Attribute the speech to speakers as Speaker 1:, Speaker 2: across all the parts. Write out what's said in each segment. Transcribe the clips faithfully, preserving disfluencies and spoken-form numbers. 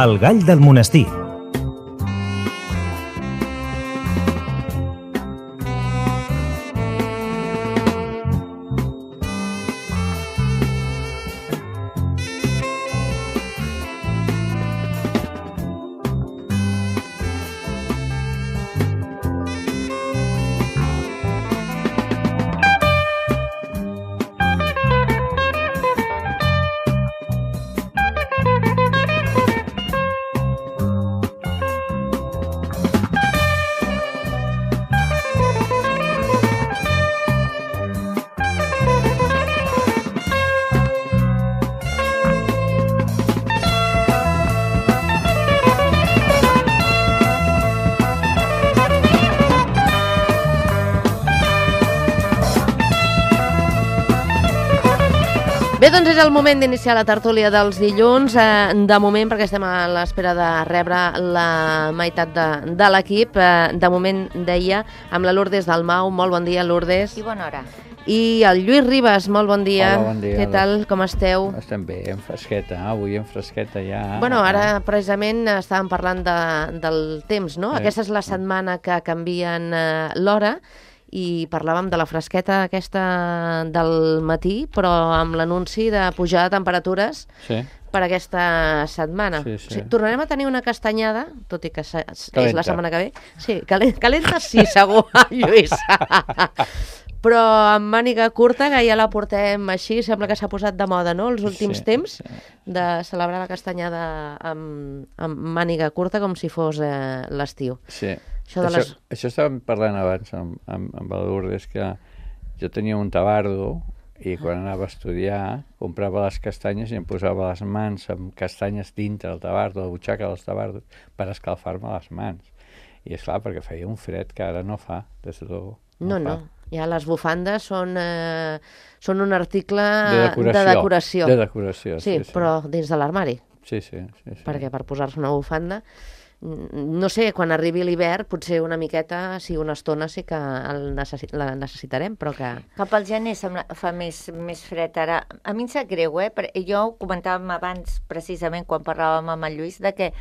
Speaker 1: El gall del monestir.
Speaker 2: Bé, doncs és el moment d'iniciar la tertúlia dels dilluns, eh, de moment, perquè estem a l'espera de rebre la meitat de, de l'equip. Eh, de moment, deia, amb la Lourdes Dalmau. Molt bon dia, Lourdes.
Speaker 3: I bona hora.
Speaker 2: I el Lluís Ribas, molt bon dia.
Speaker 4: Hola, bon dia.
Speaker 2: Què tal, com esteu?
Speaker 4: Estem bé, en fresqueta, avui en fresqueta ja.
Speaker 2: Bueno, ara precisament estàvem parlant de, del temps, no?
Speaker 4: Sí.
Speaker 2: Aquesta és la setmana que canvien eh, l'hora, i parlàvem de la fresqueta aquesta del matí, però amb l'anunci de pujada de temperatures
Speaker 4: Sí.
Speaker 2: per aquesta setmana.
Speaker 4: Sí, sí.
Speaker 2: O sigui, tornarem a tenir una castanyada, tot i que és
Speaker 4: Calenta.
Speaker 2: la setmana que ve. Sí, calenta, calenta sí, segur, Lluís. Però amb màniga curta, que ja la portem així, sembla que s'ha posat de moda, no?, els últims
Speaker 4: Sí,
Speaker 2: temps,
Speaker 4: sí.
Speaker 2: de celebrar la castanyada amb, amb màniga curta com si fos eh, l'estiu.
Speaker 4: Sí.
Speaker 2: Això de
Speaker 4: Això,
Speaker 2: les...
Speaker 4: això estàvem parlant abans amb, amb, amb el Lourdes, que jo tenia un tabardo i quan anava a estudiar comprava les castanyes i em posava les mans amb castanyes dintre del tabardo, la butxaca dels tabardos, per escalfar-me les mans. I és clar, perquè feia un fred que ara no fa, des de luego.
Speaker 2: No, no, no. Ja les bufandes són, eh, són un article
Speaker 4: De decoració.
Speaker 2: de decoració.
Speaker 4: De decoració,
Speaker 2: sí,
Speaker 4: sí, sí.
Speaker 2: però dins de l'armari.
Speaker 4: Sí, sí, sí, sí.
Speaker 2: Perquè per posar-se una bufanda, no sé, quan arribi l'hivern, potser una miqueta, sí, una estona sí que el necessi la necessitarem, però que...
Speaker 3: Cap al gener sembla, fa més, més fred ara. A mi em sap greu, eh? Perquè jo ho comentàvem abans, precisament, quan parlàvem amb el Lluís, de que,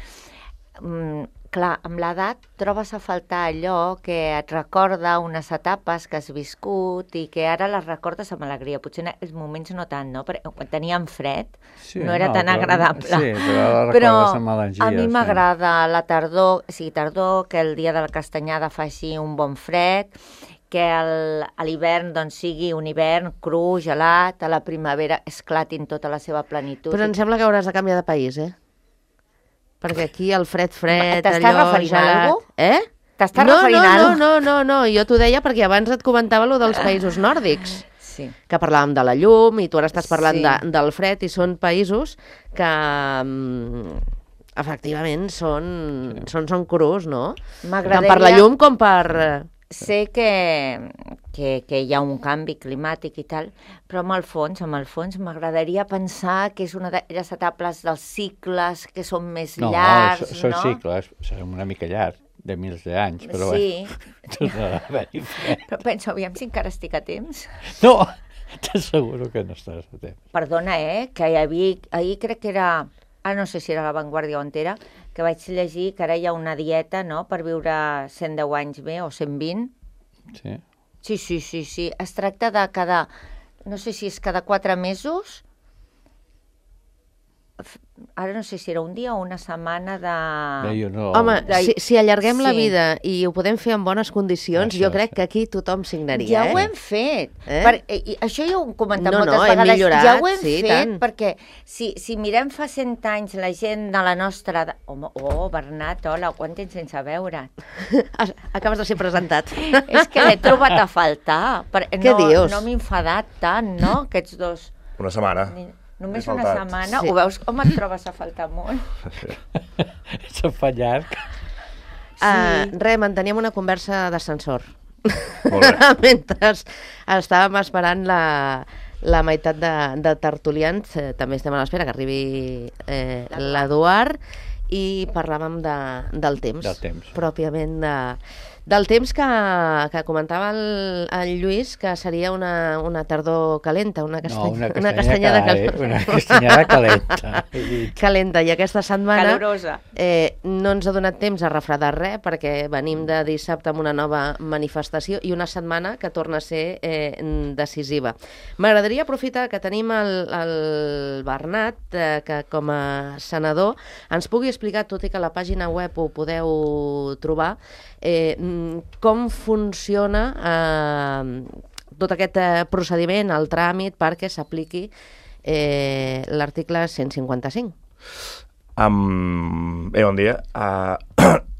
Speaker 3: mm, clar, amb l'edat trobes a faltar allò que et recorda unes etapes que has viscut i que ara les recordes amb alegria. Potser en aquells moments no tant, no? Perquè quan teníem fred
Speaker 4: Sí,
Speaker 3: no era
Speaker 4: no,
Speaker 3: tan
Speaker 4: però-
Speaker 3: agradable.
Speaker 4: sí, però ara la
Speaker 3: Però
Speaker 4: recordes amb melangia,
Speaker 3: a mi
Speaker 4: sí.
Speaker 3: m'agrada la tardor, o sigui, tardor, que el dia de la castanyada faci un bon fred, que el, a l'hivern doncs, sigui un hivern cru, gelat, a la primavera esclatin tota la seva plenitud.
Speaker 2: Però em sembla que hauràs de canviar de país, eh? Perquè aquí el fred, fred,
Speaker 3: T'estàs
Speaker 2: allò
Speaker 3: referint a
Speaker 2: gelat...
Speaker 3: algú?
Speaker 2: Eh?
Speaker 3: T'estàs
Speaker 2: no,
Speaker 3: referint
Speaker 2: no,
Speaker 3: a
Speaker 2: no,
Speaker 3: algú?
Speaker 2: no, no, no, jo t'ho deia perquè abans et comentava lo dels països nòrdics,
Speaker 3: Sí.
Speaker 2: que parlàvem de la llum i tu ara estàs parlant
Speaker 3: Sí.
Speaker 2: de, del fred, i són països que mm, efectivament són, són, són crus, no? Tant
Speaker 3: M'agradaria-
Speaker 2: per la llum com per...
Speaker 3: Sé que, que, que hi ha un canvi climàtic i tal, però amb el fons, amb el fons m'agradaria pensar que és una d'aquelles etapes dels cicles que són més
Speaker 4: No,
Speaker 3: llargs,
Speaker 4: so- són
Speaker 3: no?
Speaker 4: cicles, són una mica llargs, de mils d'anys, però
Speaker 3: Sí.
Speaker 4: bé, tornarà a haver-hi fred.
Speaker 3: Però penso, aviam si encara estic a temps.
Speaker 4: No, t'asseguro que no estàs a temps.
Speaker 3: Perdona, eh, que hi havia, ahir crec que era, ara no sé si era La Vanguardia o on era, que vaig llegir que ara hi ha una dieta, no?, per viure cent deu anys bé o cent vint.
Speaker 4: Sí.
Speaker 3: Sí, sí, sí, sí. Es tracta de cada, no sé si és cada quatre mesos, f- ara no sé si era un dia o una setmana de...
Speaker 4: Bé, jo no...
Speaker 2: Home,
Speaker 3: La-
Speaker 2: si, si allarguem la
Speaker 3: Sí.
Speaker 2: vida i ho podem fer en bones condicions,
Speaker 4: Això,
Speaker 2: jo crec
Speaker 4: sí.
Speaker 2: que aquí tothom signaria,
Speaker 3: Ja
Speaker 2: eh?
Speaker 3: ho hem fet.
Speaker 2: Eh?
Speaker 3: Per, i, i això ja ho hem comentat
Speaker 2: No,
Speaker 3: moltes
Speaker 2: no, hem
Speaker 3: vegades.
Speaker 2: millorat,
Speaker 3: ja ho hem
Speaker 2: sí,
Speaker 3: fet,
Speaker 2: tant.
Speaker 3: perquè si, si mirem fa cent anys la gent de la nostra edat... Home, oh, Bernat, hola, quant temps sense veure't?
Speaker 2: Acabes de ser presentat.
Speaker 3: És que l'he trobat a faltar. Per,
Speaker 2: Què
Speaker 3: no,
Speaker 2: dius?
Speaker 3: No m'he enfadat tant, no?, aquests dos...
Speaker 5: Una setmana.
Speaker 3: Ni- Només
Speaker 5: M'he
Speaker 3: una
Speaker 5: faltat.
Speaker 3: setmana,
Speaker 2: Sí.
Speaker 3: ho veus com et trobes a faltar molt?
Speaker 4: Se'n fa llarg.
Speaker 2: Uh, res, manteníem una conversa d'ascensor.
Speaker 5: Molt bé.
Speaker 2: Mentre estàvem esperant la, la meitat de, de tertulians, eh, també estem a l'espera que arribi eh, l'Eduard, i parlàvem de, del temps.
Speaker 4: Del temps.
Speaker 2: Pròpiament de, Del temps que, que comentava el, el Lluís, que seria una, una tardor calenta, una, castany...
Speaker 4: no, una,
Speaker 2: una castanyada
Speaker 4: cal...
Speaker 2: calenta.
Speaker 4: Una castanyada calenta.
Speaker 2: calenta. I aquesta setmana
Speaker 3: Calorosa.
Speaker 2: eh, no ens ha donat temps a refredar res, perquè venim de dissabte amb una nova manifestació i una setmana que torna a ser eh, decisiva. M'agradaria aprofitar que tenim el, el Bernat, eh, que com a senador ens pugui explicar, tot i que a la pàgina web ho podeu trobar, eh, com funciona eh, tot aquest eh, procediment, el tràmit, perquè s'apliqui eh, l'article cent cinquanta-cinc.
Speaker 5: Um, bé, bon dia. Uh,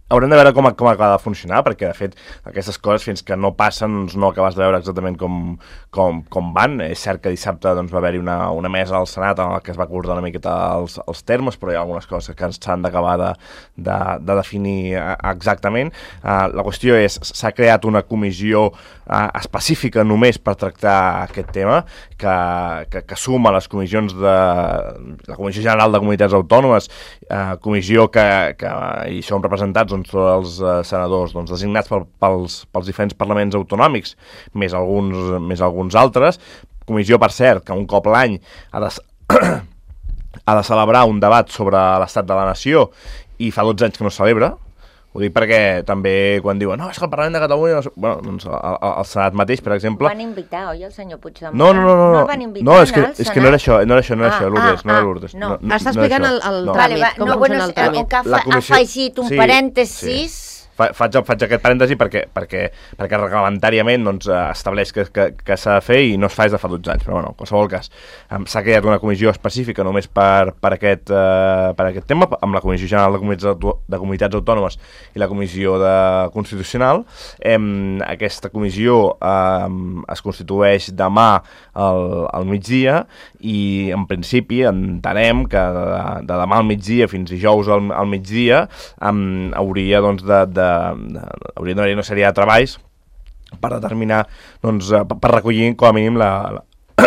Speaker 5: haurem de veure com, com acaba de funcionar, perquè, de fet, aquestes coses, fins que no passen, doncs no acabes de veure exactament com, com, com van. És cert que dissabte doncs, va haver-hi una, una mesa al Senat en què es va acordar una miqueta els, els termes, però hi ha algunes coses que s'han d'acabar de, de, de definir exactament. Uh, la qüestió és, s'ha creat una comissió uh, específica només per tractar aquest tema, que, que, que suma les comissions de la Comissió General de Comunitats Autònomes, uh, comissió que, que hi són representats doncs, tots els uh, senadors doncs, designats pel, pels, pels diferents parlaments autonòmics, més alguns, més alguns altres. Comissió, per cert, que un cop l'any ha de, ha de celebrar un debat sobre l'estat de la nació i fa dotze anys que no es celebra. Ho dic perquè també quan diuen no, és que el Parlament de Catalunya... No, bueno, doncs el, el Senat mateix, per exemple...
Speaker 3: Ho van invitar, oi, el senyor Puigdemont?
Speaker 5: No, no, no. No,
Speaker 3: no el van invitar,
Speaker 5: no, és que, és que no era això, no era això, no era
Speaker 3: ah,
Speaker 5: això, Lourdes,
Speaker 3: ah,
Speaker 5: no era
Speaker 3: ah,
Speaker 5: Lourdes.
Speaker 3: No.
Speaker 5: No,
Speaker 2: Està
Speaker 5: no
Speaker 2: explicant
Speaker 5: no
Speaker 2: el, el
Speaker 5: no.
Speaker 2: tràmit,
Speaker 3: vale, va,
Speaker 2: com
Speaker 3: no,
Speaker 2: funciona
Speaker 3: bueno,
Speaker 2: el tràmit.
Speaker 3: que fa,
Speaker 5: comissió...
Speaker 3: ha afegit un
Speaker 5: sí,
Speaker 3: parèntesis...
Speaker 5: Sí. Fa, faig, faig aquest parèntesi perquè, perquè, perquè reglamentàriament doncs, estableix que, que, que s'ha de fer i no es fa des de fa dotze anys, però bueno, en qualsevol cas s'ha creat una comissió específica només per, per, aquest, uh, per aquest tema, amb la Comissió General de Comunitats, de Comunitats Autònomes i la Comissió de Constitucional. Em, aquesta comissió em, es constitueix demà al, al migdia i en principi entenem que de, de demà al migdia fins dijous al, al migdia em, hauria doncs, de, de hauria d'haver una sèrie de treballs per determinar, doncs, per recollir com a mínim la, la,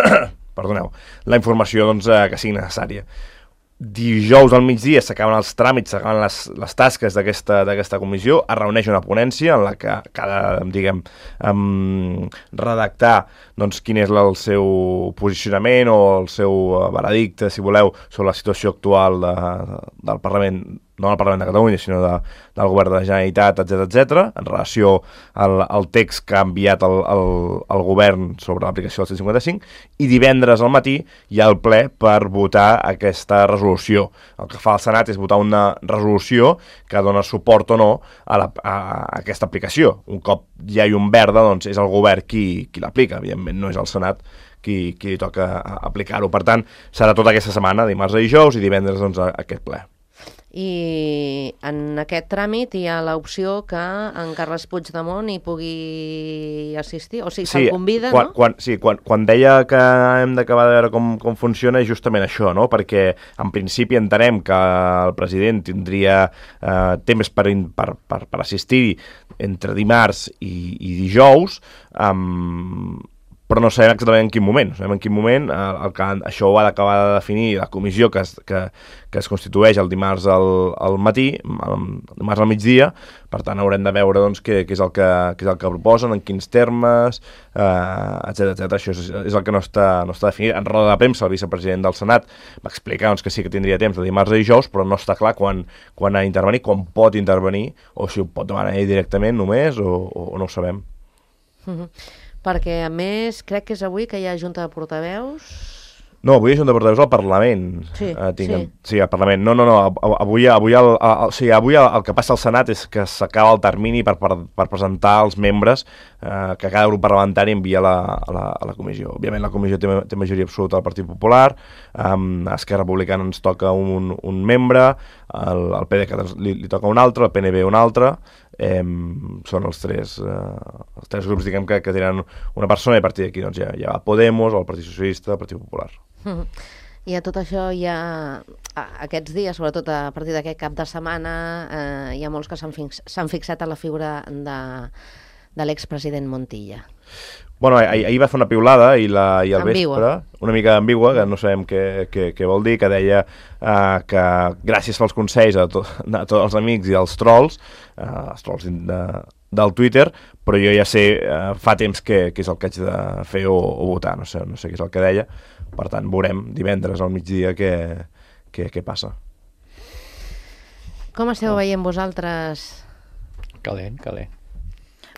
Speaker 5: perdoneu, la informació doncs, que sigui necessària. Dijous al migdia s'acaben els tràmits, s'acaben les, les tasques d'aquesta d'aquesta comissió, es reuneix una ponència en la que cada, diguem, um, redactar doncs, quin és el seu posicionament o el seu veredicte, si voleu, sobre la situació actual de, del Parlament, no del Parlament de Catalunya, sinó de, del Govern de la Generalitat, etcètera, etcètera, en relació al, al text que ha enviat el, el, el Govern sobre l'aplicació del cent cinquanta-cinc, i divendres al matí hi ha el ple per votar aquesta resolució. El que fa el Senat és votar una resolució que dona suport o no a, la, a aquesta aplicació. Un cop hi ha un verda, doncs és el Govern qui, qui l'aplica, evidentment no és el Senat qui, qui li toca aplicar-ho. Per tant, serà tota aquesta setmana, dimarts a dijous, i divendres doncs, aquest ple.
Speaker 2: I en aquest tràmit hi ha l'opció que en Carles Puigdemont hi pugui assistir, o sigui, sí, se'l convida,
Speaker 5: quan,
Speaker 2: no?
Speaker 5: Quan, sí, quan, quan deia que hem d'acabar de veure com, com funciona és justament això, no? Perquè en principi entenem que el president tindria eh, temps per, per, per, per assistir entre dimarts i, i dijous, amb... però no sabem exactament en quin moment. No sabem en quin moment, el, el que, això ho ha d'acabar de definir la comissió que es, que, que es constitueix el dimarts al, al matí, el dimarts al migdia, per tant haurem de veure doncs, què, què, és el que, què és el que proposen, en quins termes, eh, etcètera, etcètera. Això és, és el que no està, no està definit. En roda de premsa, el vicepresident del Senat va explicar doncs, que sí que tindria temps de dimarts a dijous, però no està clar quan, quan ha d'intervenir, quan pot intervenir, o si ho pot demanar ell directament només, o, o no ho sabem.
Speaker 2: Mm-hmm. Perquè, a més, crec que és avui que hi ha Junta de Portaveus...
Speaker 5: No, avui hi ha Junta de Portaveus al Parlament.
Speaker 2: Sí,
Speaker 5: uh, tinc,
Speaker 2: sí.
Speaker 5: Sí, al Parlament. No, no, no, avui, avui, el, el, o sigui, avui el, el que passa al Senat és que s'acaba el termini per, per, per presentar els membres eh, que cada grup parlamentari envia a la, a la, a la comissió. Òbviament la comissió té, té majoria absoluta del Partit Popular, um, a Esquerra Republicana ens toca un, un membre, el, el P D C li, li toca un altre, el P N B un altre, eh, són els tres, eh, els tres grups diguem, que, que tenen una persona, i a partir d'aquí doncs, ja, ja va Podemos, el Partit Socialista, el Partit Popular.
Speaker 2: Mm-hmm. I a tot això hi ha, aquests dies, sobretot a partir d'aquest cap de setmana, eh, hi ha molts que s'han fix, s'han fixat a la figura de, de l'expresident Montilla.
Speaker 5: Bueno, ahir, ahir va fer una piulada i, la, i al
Speaker 2: ambigua.
Speaker 5: vespre, una mica ambigua, que no sabem què, què, què vol dir, que deia uh, que gràcies pels consells a, to, a tots els amics i als trolls, uh, els trolls de, del Twitter, però jo ja sé eh, fa temps que, que és el que haig de fer o, o votar, no sé, no sé què és el que deia. Per tant, veurem divendres al migdia què, què, què passa.
Speaker 2: Com esteu veient vosaltres?
Speaker 4: Calent, calent.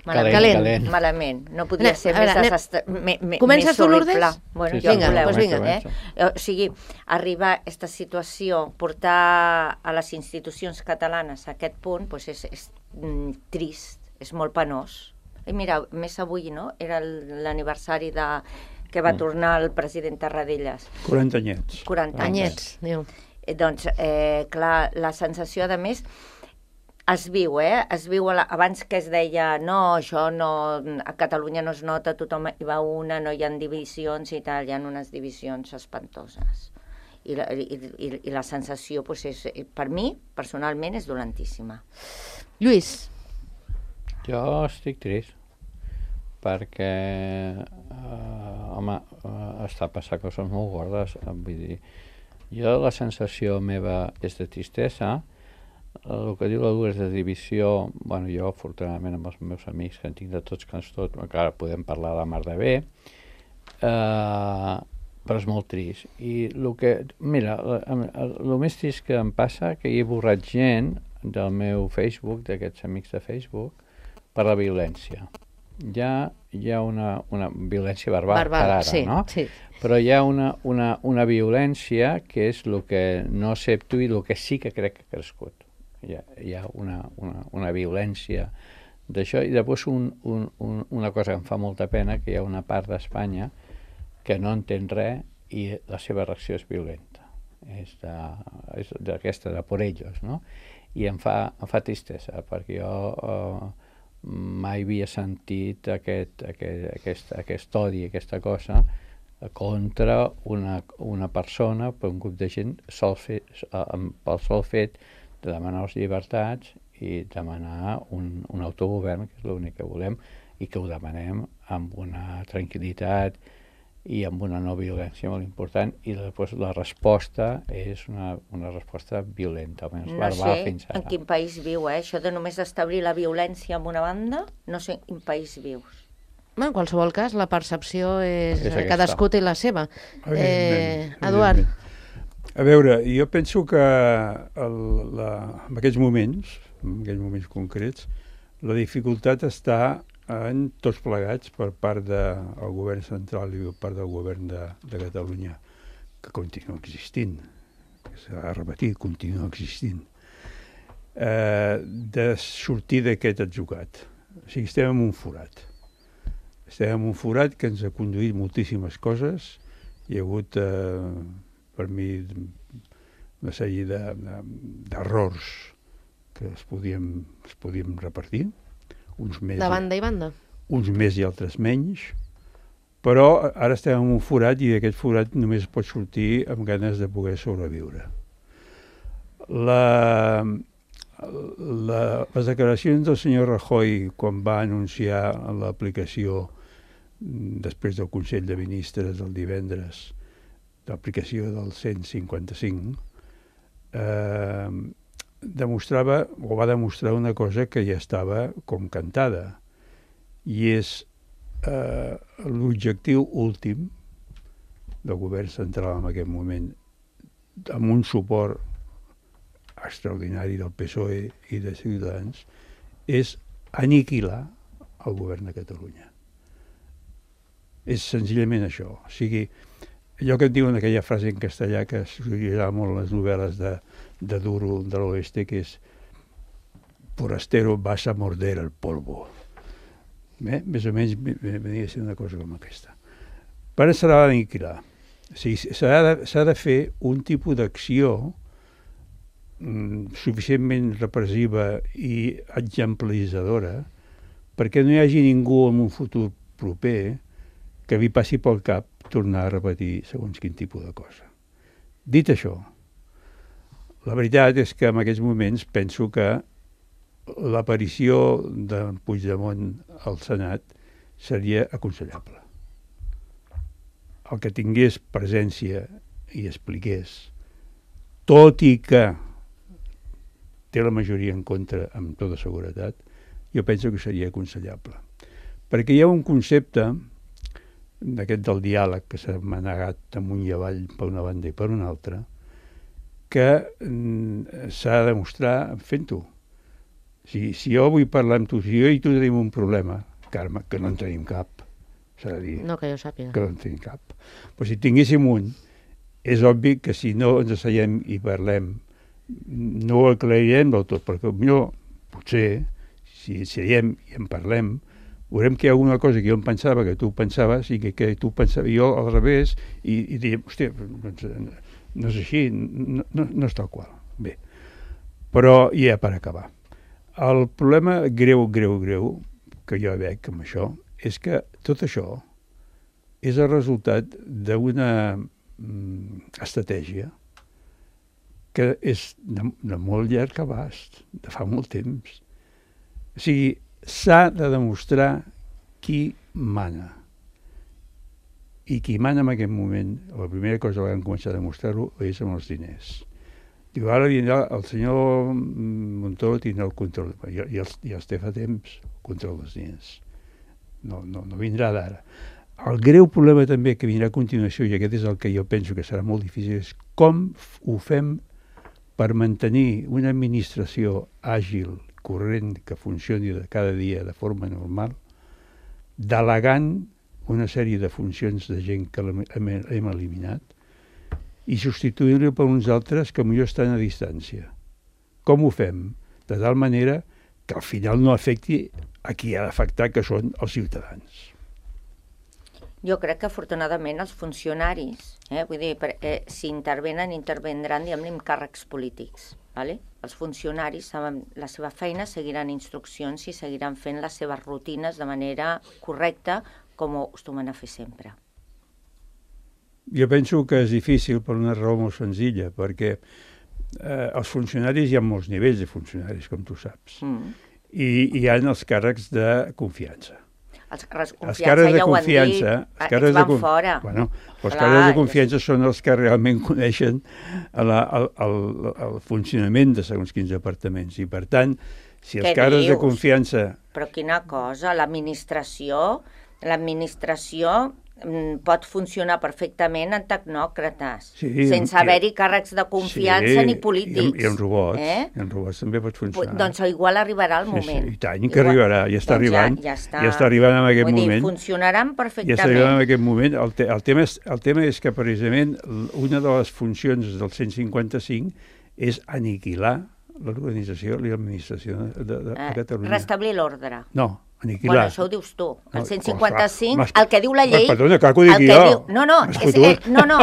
Speaker 3: Malament,
Speaker 2: Calent.
Speaker 3: calent. Malament. No podria
Speaker 2: Anem,
Speaker 3: ser
Speaker 2: a veure,
Speaker 3: més,
Speaker 2: anem-
Speaker 3: desastre, me, me,
Speaker 2: Comences
Speaker 3: més
Speaker 2: tu,
Speaker 3: horrible.
Speaker 2: Lourdes?
Speaker 3: Bueno,
Speaker 4: Sí,
Speaker 3: ja
Speaker 4: sí,
Speaker 2: Vinga,
Speaker 3: voleu,
Speaker 2: doncs vinga.
Speaker 3: Eh? O sigui, arribar a aquesta situació, portar a les institucions catalanes a aquest punt, doncs és, és mm, trist, és molt penós. I mira, més avui, no?, era l'aniversari de que va tornar el president Tarradellas.
Speaker 1: quaranta anyets.
Speaker 3: quaranta anys.
Speaker 2: Anyets, diu.
Speaker 3: Eh, doncs, eh, clar, la sensació, de més, es viu, eh? Es viu a la, abans que es deia no, això no, a Catalunya no es nota, tothom hi va una, no hi ha divisions i tal, hi ha unes divisions espantoses. I la, i, i, i la sensació, doncs, és, per mi, personalment, és dolentíssima.
Speaker 2: Lluís,
Speaker 4: Jo estic trist perquè eh, home, eh, està passant coses molt gordes, eh, vull dir, jo la sensació meva és de tristesa. El que diu la Lourdes de divisió, bueno, jo afortunadament amb els meus amics que en tinc de tots cants tot, encara podem parlar de mar de bé, eh, però és molt trist. I el que, mira, el més trist que em passa que hi he borrat gent del meu Facebook, d'aquests amics de Facebook, per la violència. Ja hi ha una, una violència verbal,
Speaker 2: verbal,
Speaker 4: per ara,
Speaker 2: sí,
Speaker 4: no?
Speaker 2: sí.
Speaker 4: Però hi ha una, una, una violència que és el que no accepto i el que sí que crec que ha crescut. Hi ha, hi ha una, una, una violència d'això, i després un, un, un, una cosa que em fa molta pena, que hi ha una part d'Espanya que no entén res i la seva reacció és violenta. És d'aquesta, de, de por ellos, no? I em fa, em fa tristesa, perquè jo eh, mai havia sentit aquest, aquest, aquest, aquest odi, aquesta cosa, contra una, una persona, per un grup de gent, sol fer, pel sol fet de demanar les llibertats i demanar un, un autogovern, que és l'únic que volem, i que ho demanem amb una tranquil·litat i amb una no violència molt important, i després la resposta és una, una resposta violenta, almenys
Speaker 3: No
Speaker 4: verbal
Speaker 3: sé
Speaker 4: fins ara.
Speaker 3: en quin país viu, eh? Això de només establir la violència en una banda, no sé en quin país vius.
Speaker 2: En qualsevol cas, la percepció és...
Speaker 4: És aquesta.
Speaker 2: cadascú té la seva. Eh,
Speaker 1: Evidentment,
Speaker 2: Eduard,
Speaker 1: evidentment. A veure, jo penso que el, la, en aquests moments, en aquests moments concrets, la dificultat està en tots plegats per part del govern central i per part del govern de, de Catalunya, que continua existint, que s'ha repetit, continua existint, eh, de sortir d'aquest atzucat. O sigui, estem en un forat. Estem en un forat que ens ha conduït moltíssimes coses. Hi ha hagut, eh, per mi, una sèrie d'errors que es podien, es podien repartir, uns més,
Speaker 2: de banda i banda.
Speaker 1: uns més i altres menys, però ara estem en un forat i d'aquest forat només pot sortir amb ganes de poder sobreviure. La, la, les declaracions del senyor Rajoy quan va anunciar l'aplicació després del Consell de Ministres del divendres, l'aplicació del cent cinquanta-cinc, eh, demostrava, o va demostrar una cosa que ja estava com cantada, i és eh, l'objectiu últim del govern central en aquest moment, amb un suport extraordinari del P S O E i de Ciutadans, és aniquilar el govern de Catalunya. És senzillament això. O sigui, allò que et diuen aquella frase en castellà que s'utilitzava molt en les novel·les de, de Duro de l'Oeste, que és forastero vas a morder el polvo. Bé, més o menys venia a ser una cosa com aquesta. Per això s'ha d'aniquilar. O sigui, s'ha de, s'ha de fer un tipus d'acció mm, suficientment repressiva i exemplaritzadora perquè no hi hagi ningú en un futur proper que li passi pel cap tornar a repetir segons quin tipus de cosa. Dit això, la veritat és que en aquests moments penso que l'aparició de Puigdemont al Senat seria aconsellable. El que tingués presència i expliqués, tot i que té la majoria en contra amb tota seguretat, jo penso que seria aconsellable. Perquè hi ha un concepte d'aquest del diàleg que s'ha manegat amunt i avall per una banda i per una altra, que mm, s'ha de demostrar fent-ho. Si, si jo vull parlar amb tu, si jo i tu tenim un problema, Carme, que no en tenim cap, s'ha de dir.
Speaker 2: No, que jo sàpiga.
Speaker 1: Que no en tenim cap. Però si tinguéssim un, és obvi que si no ens asseiem i parlem, no ho aclarirem del tot, perquè potser, potser si asseiem i en parlem, veurem que hi ha alguna cosa que jo em pensava, que tu pensaves, i que, que tu pensaves, jo al revés, i, i diríem, hòstia, doncs, no és així, no, no, no és tal qual. Bé, però ja per acabar. El problema greu, greu, greu, que jo veig amb això, és que tot això és el resultat d'una mm, estratègia que és de, de molt llarg abast, de fa molt temps. O sigui, s'ha de demostrar qui mana. I qui mana en aquest moment, la primera cosa que han començat a demostrar-ho és amb els diners. Diu, ara vindrà el senyor Montoro tindrà el control. Ja, ja, ja es té fa temps el control dels diners. No, no, no vindrà d'ara. El greu problema també que vindrà a continuació, i aquest és el que jo penso que serà molt difícil, és com ho fem per mantenir una administració àgil, corrent, que funcioni de cada dia de forma normal, delegant una sèrie de funcions de gent que hem, hem eliminat i substituint-lo per uns altres que potser estan a distància. Com ho fem? De tal manera que al final no afecti a qui ha d'afectar, que són els ciutadans.
Speaker 3: Jo crec que afortunadament els funcionaris, eh, vull dir, per, eh, si intervenen, intervendran, diguem-ne, amb càrrecs polítics. Vale? Els funcionaris saben la seva feina, seguiran instruccions i seguiran fent les seves rutines de manera correcta, com ho acostumen a fer sempre.
Speaker 1: Jo penso que és difícil per una raó molt senzilla, perquè eh, els funcionaris, hi ha molts nivells de funcionaris, com tu saps, mm. i hi ha els càrrecs de confiança.
Speaker 3: Els càrrecs de
Speaker 1: confiança,
Speaker 3: confiança ja ho han
Speaker 1: dit,
Speaker 3: aquests van de, fora.
Speaker 1: Bueno, els càrrecs de confiança és... són els que realment coneixen el, el, el, el funcionament de segons quins departaments, i per tant, si els càrrecs de confiança...
Speaker 3: Però quina cosa, l'administració, l'administració pot funcionar perfectament en tecnòcrates, sí, sense haver-hi càrrecs de confiança sí, ni polítics.
Speaker 1: I, i en robots, eh? I en robots també pot funcionar.
Speaker 3: Doncs igual arribarà el moment. Sí, sí,
Speaker 1: i tant, que igual, arribarà, ja està doncs arribant, ja, ja, està, ja està arribant en aquest
Speaker 3: vull
Speaker 1: moment.
Speaker 3: Dir, funcionaran perfectament.
Speaker 1: Ja està arribant en aquest moment. El, te, el, tema és, el tema és que precisament una de les funcions del cent cinquanta-cinc és aniquilar l'organització i l'administració de, de, de, de Catalunya.
Speaker 3: Restablir l'ordre.
Speaker 1: No, aniquilar.
Speaker 3: Bueno, això ho dius tu. El cent cinquanta-cinc, el que diu la llei...
Speaker 1: Perdona, clar que ho dic jo.
Speaker 3: Diu, no, no, és, eh, no, no.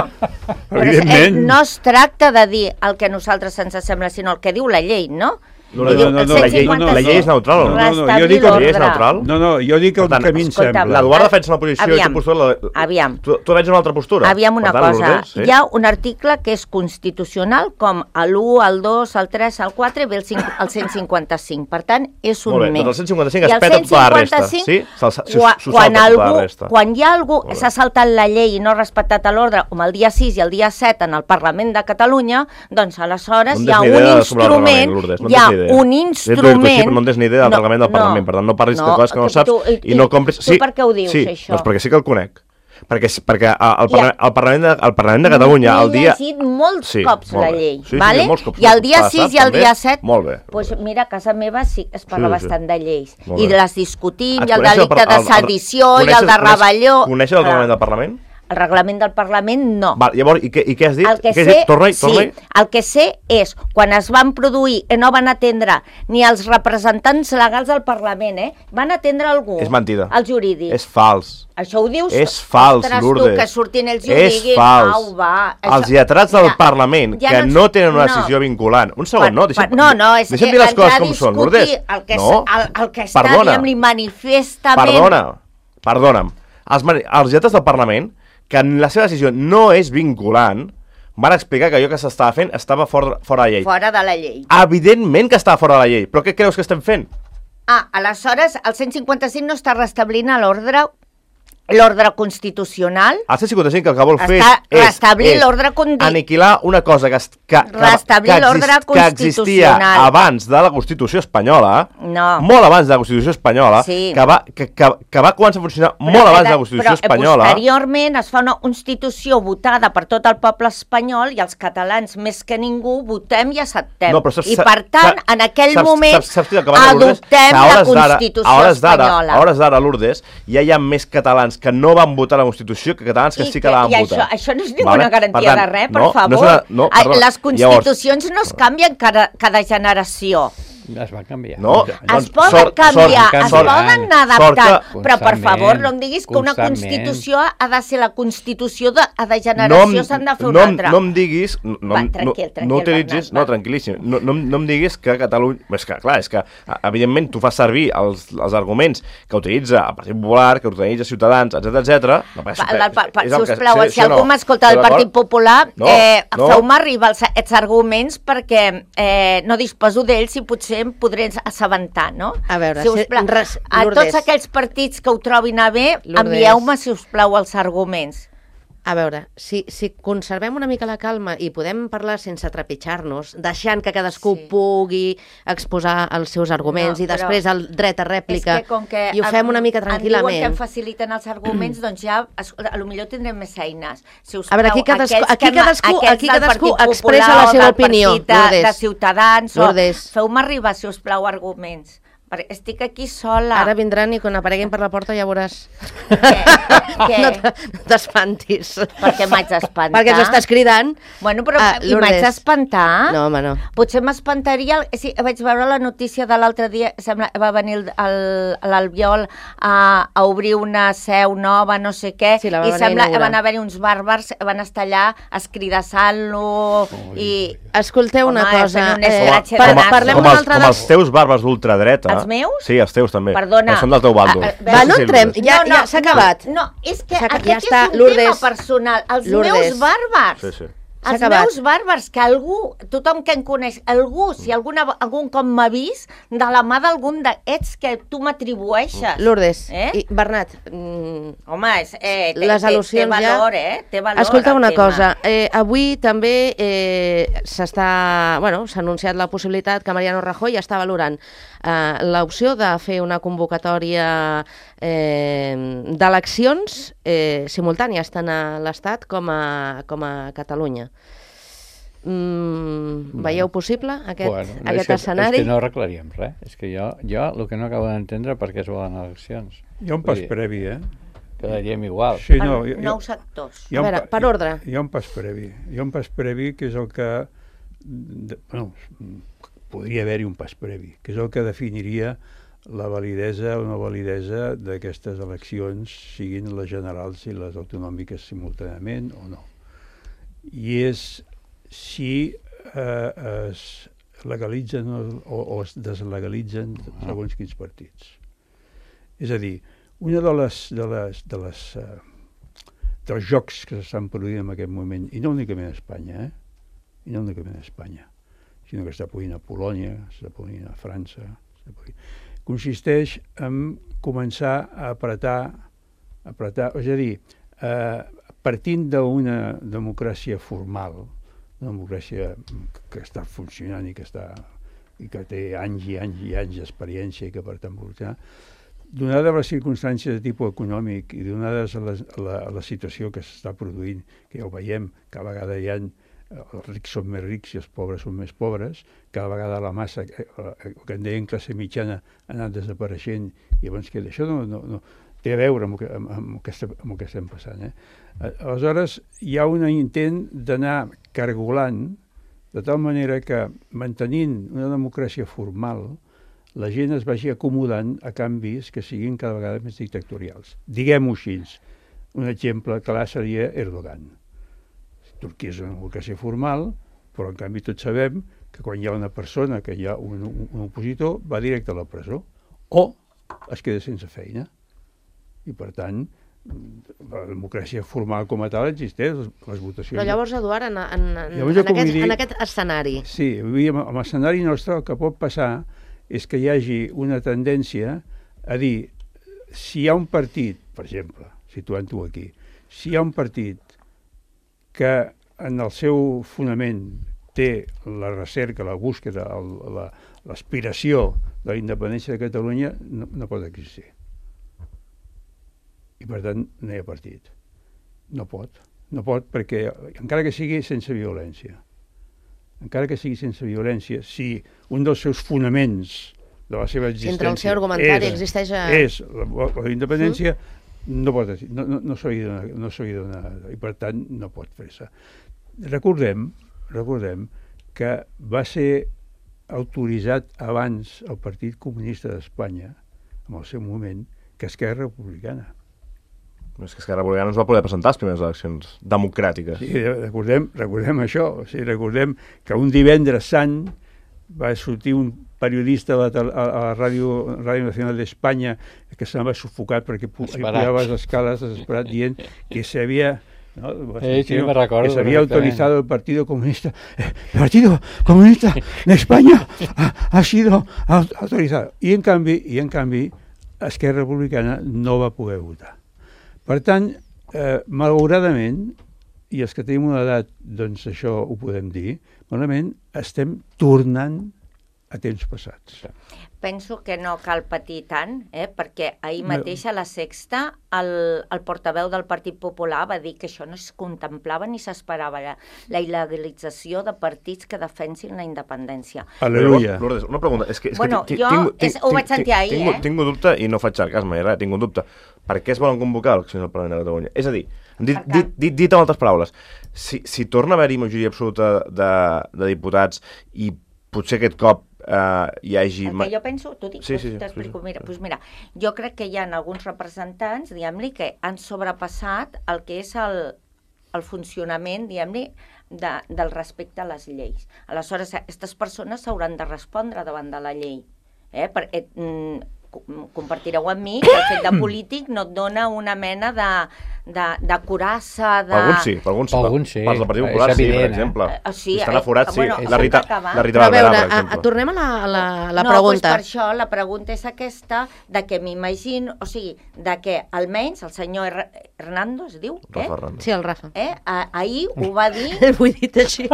Speaker 3: Evidentment. No es tracta de dir el que a nosaltres ens sembla, sinó el que diu la llei, no?
Speaker 5: No, no, no, no, no, la, llei, no, no, la llei és neutral.
Speaker 1: No, no, no, jo dic que la llei és neutral. No, no, jo dic el tant, que a mi em sembla.
Speaker 5: L'Eduard defensa una posició
Speaker 3: aviam,
Speaker 5: i tu postura... La...
Speaker 3: Aviam.
Speaker 5: Tu, tu defenses una altra postura.
Speaker 3: Aviam una
Speaker 5: tant,
Speaker 3: cosa.
Speaker 5: Sí?
Speaker 3: Hi ha un article que és constitucional, com l'u, el dos, el tres, el quatre, ve el, el cent cinquanta-cinc. Per tant, és un més.
Speaker 5: Doncs el cent cinquanta-cinc es peta tota la resta. Sí?
Speaker 3: Quan, algú, quan hi ha algú que s'ha saltat la llei i no ha respectat l'ordre, com el dia sis i el dia set en el Parlament de Catalunya, doncs aleshores hi ha un instrument, hi ha un instrument...
Speaker 5: No en tens ni idea del reglament del Parlament, per tant no parlis de coses que no saps i no compris...
Speaker 3: Tu per què ho dius, això?
Speaker 5: Doncs perquè sí que el conec. Perquè el Parlament de Catalunya el dia...
Speaker 3: M'he llegit molts cops la llei, i el dia sis i el dia set...
Speaker 5: Molt bé.
Speaker 3: Doncs mira, a casa meva sí que es parla bastant de lleis. I les discutim, i el delicte de sedició, i el de rebel·lió...
Speaker 5: Coneixes el reglament del Parlament?
Speaker 3: El reglament del Parlament, no.
Speaker 5: Val, llavors, i què, i què has dit?
Speaker 3: El que
Speaker 5: què
Speaker 3: sé,
Speaker 5: has dit? Torna-hi, torna-hi.
Speaker 3: Sí, el que sé és, quan es van produir i no van atendre ni els representants legals del Parlament, eh? Van atendre algú.
Speaker 5: És mentida.
Speaker 3: Els jurídics.
Speaker 5: És fals.
Speaker 3: Això ho dius?
Speaker 5: És fals,
Speaker 3: Ostres,
Speaker 5: Lourdes.
Speaker 3: Tu, que surtin ells i ho
Speaker 5: és
Speaker 3: diguin.
Speaker 5: Fals.
Speaker 3: Au, va.
Speaker 5: Això... Els lletrats del ja, Parlament, ja que no, no tenen una decisió no. vinculant. Un segon,
Speaker 3: per,
Speaker 5: no? Deixa'm,
Speaker 3: per, no, no, és
Speaker 5: deixa'm dir les coses com són, Lourdes.
Speaker 3: El que,
Speaker 5: no?
Speaker 3: el, el que està, diguem-li, manifestament...
Speaker 5: Perdona, perdona'm. Els, els lletrats del Parlament, que en la seva decisió no és vinculant, van explicar que allò que s'estava fent estava fora, fora de la llei.
Speaker 3: Fora de la llei.
Speaker 5: Evidentment que estava fora de la llei, però què creus que estem fent?
Speaker 3: Ah, aleshores el cent cinquanta-cinc no està restablint l'ordre l'ordre constitucional.
Speaker 5: El cent cinquanta-cinc el que vol fer
Speaker 3: Està,
Speaker 5: és,
Speaker 3: restablir
Speaker 5: és
Speaker 3: l'ordre condi...
Speaker 5: aniquilar una cosa que, que, que,
Speaker 3: Restablir
Speaker 5: que,
Speaker 3: l'ordre
Speaker 5: exist, que existia
Speaker 3: constitucional.
Speaker 5: abans de la Constitució espanyola,
Speaker 3: No.
Speaker 5: molt abans de la Constitució espanyola,
Speaker 3: Sí.
Speaker 5: que, va, que, que, que va començar a funcionar
Speaker 3: Però
Speaker 5: molt abans
Speaker 3: que
Speaker 5: de la Constitució
Speaker 3: però,
Speaker 5: espanyola.
Speaker 3: Posteriorment es fa una constitució votada per tot el poble espanyol i els catalans, més que ningú, votem i acceptem.
Speaker 5: No, però saps-
Speaker 3: I per tant,
Speaker 5: saps-
Speaker 3: en aquell
Speaker 5: saps-
Speaker 3: moment,
Speaker 5: saps- saps què acabem de Lourdes?
Speaker 3: adoptem
Speaker 5: Que a
Speaker 3: la
Speaker 5: hores d'ara-
Speaker 3: Constitució
Speaker 5: a hores d'ara-
Speaker 3: espanyola.
Speaker 5: A hores d'ara, Lourdes, ja hi ha més catalans que no van votar la Constitució que catalans que
Speaker 3: I
Speaker 5: sí que la van
Speaker 3: i
Speaker 5: votar.
Speaker 3: Això, això no és ninguna
Speaker 5: Vale?
Speaker 3: garantia
Speaker 5: tant,
Speaker 3: de res, per
Speaker 5: no,
Speaker 3: favor.
Speaker 5: No és una, no,
Speaker 3: Ah,
Speaker 5: perdona.
Speaker 3: Les constitucions no es canvien cada, cada generació.
Speaker 4: Es va canviar.
Speaker 5: No,
Speaker 3: Es
Speaker 5: doncs,
Speaker 3: poden
Speaker 5: sort-
Speaker 3: canviar,
Speaker 5: sort-
Speaker 3: es
Speaker 5: sort-
Speaker 3: poden anar
Speaker 5: sort que-
Speaker 3: adaptant, però per favor no em diguis que una
Speaker 4: constantment.
Speaker 3: constitució ha de ser la constitució de, de
Speaker 5: no,
Speaker 3: generació, s'han de fer
Speaker 5: no,
Speaker 3: una altra.
Speaker 5: no em diguis... No,
Speaker 3: Va,
Speaker 5: no,
Speaker 3: tranquil, tranquil,
Speaker 5: no utilitzis...
Speaker 3: Bernat,
Speaker 5: no,
Speaker 3: va.
Speaker 5: tranquil·líssim. No, no, no em diguis que Catalunya... És que, clar, és que, evidentment, tu fas servir els, els arguments que utilitza el Partit Popular, que utilitza Ciutadans, etcètera, etcètera. No,
Speaker 3: Pa, la, pa, pa, si us plau,
Speaker 5: sí,
Speaker 3: si
Speaker 5: sí,
Speaker 3: algú
Speaker 5: no.
Speaker 3: m'escolta del
Speaker 5: D'acord?
Speaker 3: Partit Popular,
Speaker 5: No,
Speaker 3: eh,
Speaker 5: no.
Speaker 3: feu-me arribar els, els arguments perquè eh, no disposo d'ells i potser em podré assabentar, no?
Speaker 2: A veure,
Speaker 3: si us
Speaker 2: si-
Speaker 3: plau,
Speaker 2: res-
Speaker 3: a
Speaker 2: Lourdes.
Speaker 3: tots aquells partits que ho trobin a bé,
Speaker 2: Lourdes.
Speaker 3: envieu-me, si us plau, els arguments.
Speaker 2: A veure, si, si conservem una mica la calma i podem parlar sense trepitjar-nos, deixant que cadascú
Speaker 3: Sí.
Speaker 2: pugui exposar els seus arguments
Speaker 3: No,
Speaker 2: i
Speaker 3: però
Speaker 2: després el dret a rèplica,
Speaker 3: És que com que
Speaker 2: i ho fem una mica
Speaker 3: Em diuen que
Speaker 2: tranquil·lament.
Speaker 3: em faciliten els arguments, doncs ja, es- a lo millor tindrem més eines. Si us
Speaker 2: A veure, aquí
Speaker 3: plau,
Speaker 2: cadascú-
Speaker 3: aquells
Speaker 2: aquí
Speaker 3: que ma-
Speaker 2: cadascú-
Speaker 3: aquells
Speaker 2: aquí
Speaker 3: del
Speaker 2: cadascú
Speaker 3: Partit
Speaker 2: expressa
Speaker 3: Popular
Speaker 2: la seva
Speaker 3: o del
Speaker 2: opinió,
Speaker 3: Partit de,
Speaker 2: Lourdes.
Speaker 3: de Ciutadans,
Speaker 2: Lourdes.
Speaker 3: o feu-me arribar, si us plau, arguments. Perquè estic aquí sola.
Speaker 2: Ara vindran i quan apareguin per la porta ja veuràs.
Speaker 3: Què? Què?
Speaker 2: No te- no t'espantis.
Speaker 3: Perquè m'haig d'espantar.
Speaker 2: Perquè ens estàs cridant.
Speaker 3: Bueno, però
Speaker 2: Ah,
Speaker 3: i m'haig
Speaker 2: Lourdes.
Speaker 3: d'espantar?
Speaker 2: No, home, no.
Speaker 3: Potser m'espantaria... Sí, vaig veure la notícia de l'altre dia, sembla, va venir el- el- l'Albiol a, a obrir una seu nova, no sé què,
Speaker 2: Sí, la va
Speaker 3: i
Speaker 2: venir a
Speaker 3: sembla que
Speaker 2: inaugurar.
Speaker 3: van haver-hi uns bàrbars, van estar allà escridassant-lo i...
Speaker 2: Escolteu una
Speaker 3: Home,
Speaker 2: cosa.
Speaker 3: fent un
Speaker 2: Eh,
Speaker 3: escratx
Speaker 2: par-
Speaker 3: de nas.
Speaker 2: parlem
Speaker 5: com
Speaker 2: una
Speaker 5: els,
Speaker 2: altra
Speaker 5: com
Speaker 2: de...
Speaker 5: els teus bàrbars d'ultradreta.
Speaker 3: Els meus?
Speaker 5: Sí, els teus també.
Speaker 3: Perdona.
Speaker 5: Que són del teu bàndol.
Speaker 3: Ah, ah,
Speaker 2: Va, no
Speaker 5: Sí, sí,
Speaker 2: entrem,
Speaker 5: Lourdes.
Speaker 2: ja, ja s'ha acabat.
Speaker 3: No, no, és que
Speaker 2: S'ha-
Speaker 3: aquest
Speaker 2: ja està,
Speaker 3: és un
Speaker 2: Lourdes.
Speaker 3: tema personal. Els
Speaker 2: Lourdes.
Speaker 3: meus bàrbars.
Speaker 5: Sí, sí.
Speaker 2: S'ha
Speaker 3: Els
Speaker 2: acabat.
Speaker 3: meus bàrbars, que algú, tothom que em coneix, algú, si alguna, algun cop m'ha vist, de la mà d'algun d'aquests que tu m'atribueixes.
Speaker 2: Lourdes,
Speaker 3: Eh?
Speaker 2: i Bernat, mm,
Speaker 3: Home, és, eh, té,
Speaker 2: les
Speaker 3: té,
Speaker 2: al·lusions
Speaker 3: té
Speaker 2: ja...
Speaker 3: valor, eh? Té valor
Speaker 2: Escolta
Speaker 3: el
Speaker 2: una
Speaker 3: tema.
Speaker 2: cosa, eh, avui també eh, s'està, bueno, s'ha anunciat la possibilitat que Mariano Rajoy està valorant eh, l'opció de fer una convocatòria eh, d'eleccions eh, simultànies tant a l'Estat com a, com a Catalunya. Mm,
Speaker 4: Bueno.
Speaker 2: veieu possible aquest,
Speaker 4: Bueno, no,
Speaker 2: aquest
Speaker 4: és que,
Speaker 2: escenari?
Speaker 4: És que no arreglaríem res. És que jo, jo el que no acabo d'entendre per què es volen eleccions.
Speaker 1: Hi ha un pas
Speaker 4: Vull dir,
Speaker 1: previ, eh?
Speaker 4: Quedaríem igual.
Speaker 1: Sí,
Speaker 3: Per
Speaker 1: no, hi, hi,
Speaker 3: nous sectors.
Speaker 1: hi ha un
Speaker 2: A veure,
Speaker 1: pa-
Speaker 2: per ordre.
Speaker 1: Hi ha un pas previ. Hi ha un pas previ que és el que... De, bueno, podria haver-hi un pas previ, que és el que definiria la validesa o no validesa d'aquestes eleccions, siguin les generals i les autonòmiques simultàniament o no. I és si eh, es legalitzen o, o es deslegalitzen segons quins partits. És a dir, una de les, de les, de les eh, dels jocs que s'estan produint en aquest moment, i no únicament a Espanya, eh? i no únicament a Espanya, sinó que està produint a Polònia, està produint a França, està produint... consisteix en començar a apretar, apretar, és a dir, eh, partint d'una democràcia formal, una democràcia que està funcionant i que està i que té anys i anys i anys d'experiència i que per tant evolucionar, donades les circumstàncies de tipus econòmic i donades a la, a la, a la situació que s'està produint, que ja ho veiem, cada vegada hi ha els rics són més rics i els pobres són més pobres, cada vegada la massa, eh, el que en deien classe mitjana, ha anat desapareixent i llavors que això no, no, no té a veure amb el que, amb, amb el que, estem, amb el que estem passant. Eh? Aleshores, hi ha un intent d'anar cargolant de tal manera que, mantenint una democràcia formal, la gent es vagi acomodant a canvis que siguin cada vegada més dictatorials. Diguem-ho així. Un exemple clar seria Erdogan. Turquia és una democràcia formal, però en canvi tots sabem que quan hi ha una persona, que hi ha un, un, un opositor, va directe a la presó o es queda sense feina. I per tant, la democràcia formal com a tal existeix, les, les votacions...
Speaker 2: Però llavors, Eduard, en, en, en,
Speaker 1: Llavors,
Speaker 2: en,
Speaker 1: com
Speaker 2: aquest,
Speaker 1: dir-
Speaker 2: en aquest escenari,
Speaker 1: Sí, vull dir, amb amb l'escenari nostre el que pot passar és que hi hagi una tendència a dir, si hi ha un partit, per exemple, situant-ho aquí. Si hi ha un partit que en el seu fonament té la recerca, la búsqueda, l'aspiració de la independència de Catalunya, no, no pot existir. I per tant no hi ha partit. No pot. No pot perquè, encara que sigui sense violència, encara que sigui sense violència, si un dels seus fonaments de la seva existència...
Speaker 2: Entre el seu argumentari
Speaker 1: és,
Speaker 2: existeix... A...
Speaker 1: És la, la independència, mm. no pot no, no, no s'hauria de, no de donar, i per tant no pot fer-se. Recordem, recordem que va ser autoritzat abans el Partit Comunista d'Espanya, en el seu moment, que Esquerra Republicana.
Speaker 5: És que Esquerra Republicana no es va poder presentar a les primeres eleccions democràtiques.
Speaker 1: Sí, recordem, recordem això. O sigui, recordem que un divendres sant va sortir un periodista a la, a la Ràdio, Ràdio Nacional d'Espanya que se'n va sufocar perquè pujava les escales desesperat dient que s'havia... ¿no?
Speaker 4: Eh, sí, me recordo,
Speaker 1: que se había autorizado el Partido Comunista. El Partido Comunista de España ha, ha sido autorizado. I en canvi, i en canvi Esquerra Republicana no va poder votar. Per tant, eh, malauradament, i els que tenim una edat, doncs això ho podem dir, malauradament estem tornant a temps passats.
Speaker 3: Penso que no cal patir tant, eh? Perquè ahir mateix a la Sexta el, el portaveu del Partit Popular va dir que això no es contemplava ni s'esperava, la, la il·legalització de partits que defensin la independència.
Speaker 1: Aleluia.
Speaker 5: Lourdes, una pregunta. És que, és
Speaker 3: bueno,
Speaker 5: que
Speaker 3: jo tinc, tinc, ho vaig sentir ahir,
Speaker 5: tinc,
Speaker 3: eh?
Speaker 5: Tinc un dubte, i no faig sarcasme ni res, tinc un dubte. Per què es volen convocar eleccions al Parlament de Catalunya? És a dir, dit, dit, dit, dit amb altres paraules, si, si torna a haver-hi majoria absoluta de, de diputats i potser aquest cop Uh, hi hagi...
Speaker 3: El que jo penso, t'ho dic,
Speaker 5: sí, sí, sí,
Speaker 3: t'explico,
Speaker 5: sí, sí.
Speaker 3: mira, doncs mira, jo crec que hi ha alguns representants, diguem-li, que han sobrepassat el que és el, el funcionament, diguem-li, de, del respecte a les lleis. Aleshores, aquestes persones s'hauran de respondre davant de la llei, eh? Perquè mm, compartireu amb mi que el fet de polític no et dona una mena de, de, de curassa, de...
Speaker 5: Per alguns sí, per alguns,
Speaker 4: per alguns sí.
Speaker 5: Per del Partit Popular sí, per exemple.
Speaker 3: Eh? Sí,
Speaker 5: si estan aforats, sí.
Speaker 3: Bueno,
Speaker 5: la Rita, la Rita
Speaker 2: Però a veure,
Speaker 5: Barberà, per
Speaker 2: a,
Speaker 5: exemple.
Speaker 2: a, tornem a la, a la, a la
Speaker 3: no,
Speaker 2: pregunta.
Speaker 3: No, doncs per això la pregunta és aquesta, de que m'imagino, o sigui, de que almenys el senyor Hernando, es diu?
Speaker 5: Rafa
Speaker 3: Eh?
Speaker 5: Hernando.
Speaker 2: Sí, el Rafa.
Speaker 3: Eh? Ah, ahir ho va dir...
Speaker 2: Ho he dit així.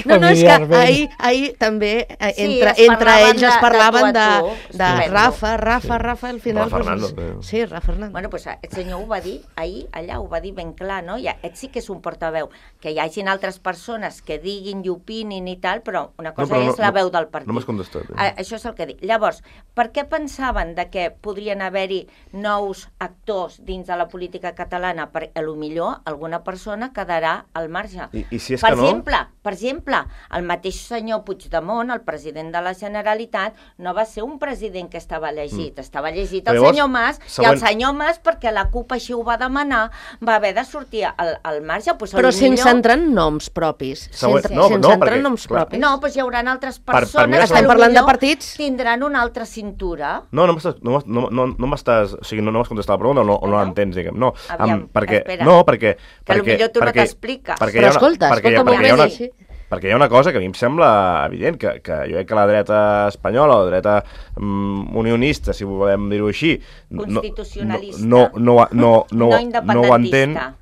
Speaker 2: No, no, és que ahir, ahir també eh,
Speaker 3: Sí,
Speaker 2: entre,
Speaker 3: es
Speaker 2: entre
Speaker 3: parlaven
Speaker 2: ells es
Speaker 3: de- de
Speaker 2: parlaven
Speaker 3: tu
Speaker 2: de,
Speaker 3: a tu,
Speaker 2: de
Speaker 3: estupendo.
Speaker 2: Rafa, Rafa, Rafa, al final...
Speaker 5: Rafa
Speaker 2: pues,
Speaker 5: Hernando, eh.
Speaker 2: Sí, Rafa Hernando.
Speaker 3: Bueno, doncs el senyor ho va dir ahir, allà ho va dir ben clar, no? Ja, ell sí que és un portaveu. Que hi hagin altres persones que diguin i opinin i tal, però una cosa
Speaker 5: però
Speaker 3: és la
Speaker 5: no,
Speaker 3: veu del partit.
Speaker 5: No m'has contestat. Eh?
Speaker 3: Ah, això és el que dic. Llavors, per què pensaven de que podrien haver-hi nous actors dins de la política catalana? Perquè potser alguna persona quedarà al marge.
Speaker 5: I, i si és
Speaker 3: per
Speaker 5: que no...
Speaker 3: exemple, per exemple, el mateix senyor Puigdemont, el president de la Generalitat, no va ser un president que estava elegit, mm. estava elegit el
Speaker 5: Llavors,
Speaker 3: senyor Mas,
Speaker 5: següent...
Speaker 3: i el senyor Mas, perquè la CUP així ho va demanar, va haver de sortir al, al marge. Pues,
Speaker 2: Però sense
Speaker 3: millor...
Speaker 2: entrar en noms propis.
Speaker 5: Següent-
Speaker 2: Sense,
Speaker 5: no,
Speaker 2: sense
Speaker 5: no,
Speaker 2: entrar
Speaker 5: perquè,
Speaker 2: en noms
Speaker 5: clar.
Speaker 2: propis.
Speaker 3: No, doncs hi haurà altres
Speaker 5: Per- per
Speaker 3: persones
Speaker 5: mi
Speaker 3: que
Speaker 2: Estem parlant de
Speaker 3: potser
Speaker 2: partits?
Speaker 3: tindran una altra cintura.
Speaker 5: No, no m'estàs, no, no, no, no m'estàs, o sigui, no, no m'has contestat la pregunta o no, o no
Speaker 3: No?
Speaker 5: l'entens, diguem. No,
Speaker 3: Aviam,
Speaker 5: em, perquè,
Speaker 3: espera.
Speaker 5: no, perquè...
Speaker 3: Que
Speaker 5: perquè,
Speaker 3: potser tu no
Speaker 5: perquè,
Speaker 3: t'expliques.
Speaker 5: perquè
Speaker 2: Però
Speaker 5: hi ha una-
Speaker 2: escolta,
Speaker 5: perquè, hi ha-
Speaker 2: escolta,
Speaker 5: perquè, hi ha una,
Speaker 2: sí.
Speaker 5: perquè hi ha una cosa que a mi em sembla evident, que, que jo crec que la dreta espanyola, o la dreta mm, unionista, si volem dir-ho així... no-
Speaker 3: Constitucionalista.
Speaker 5: No, no, no, no, no,
Speaker 3: No
Speaker 5: no, ho entén,
Speaker 3: independentista.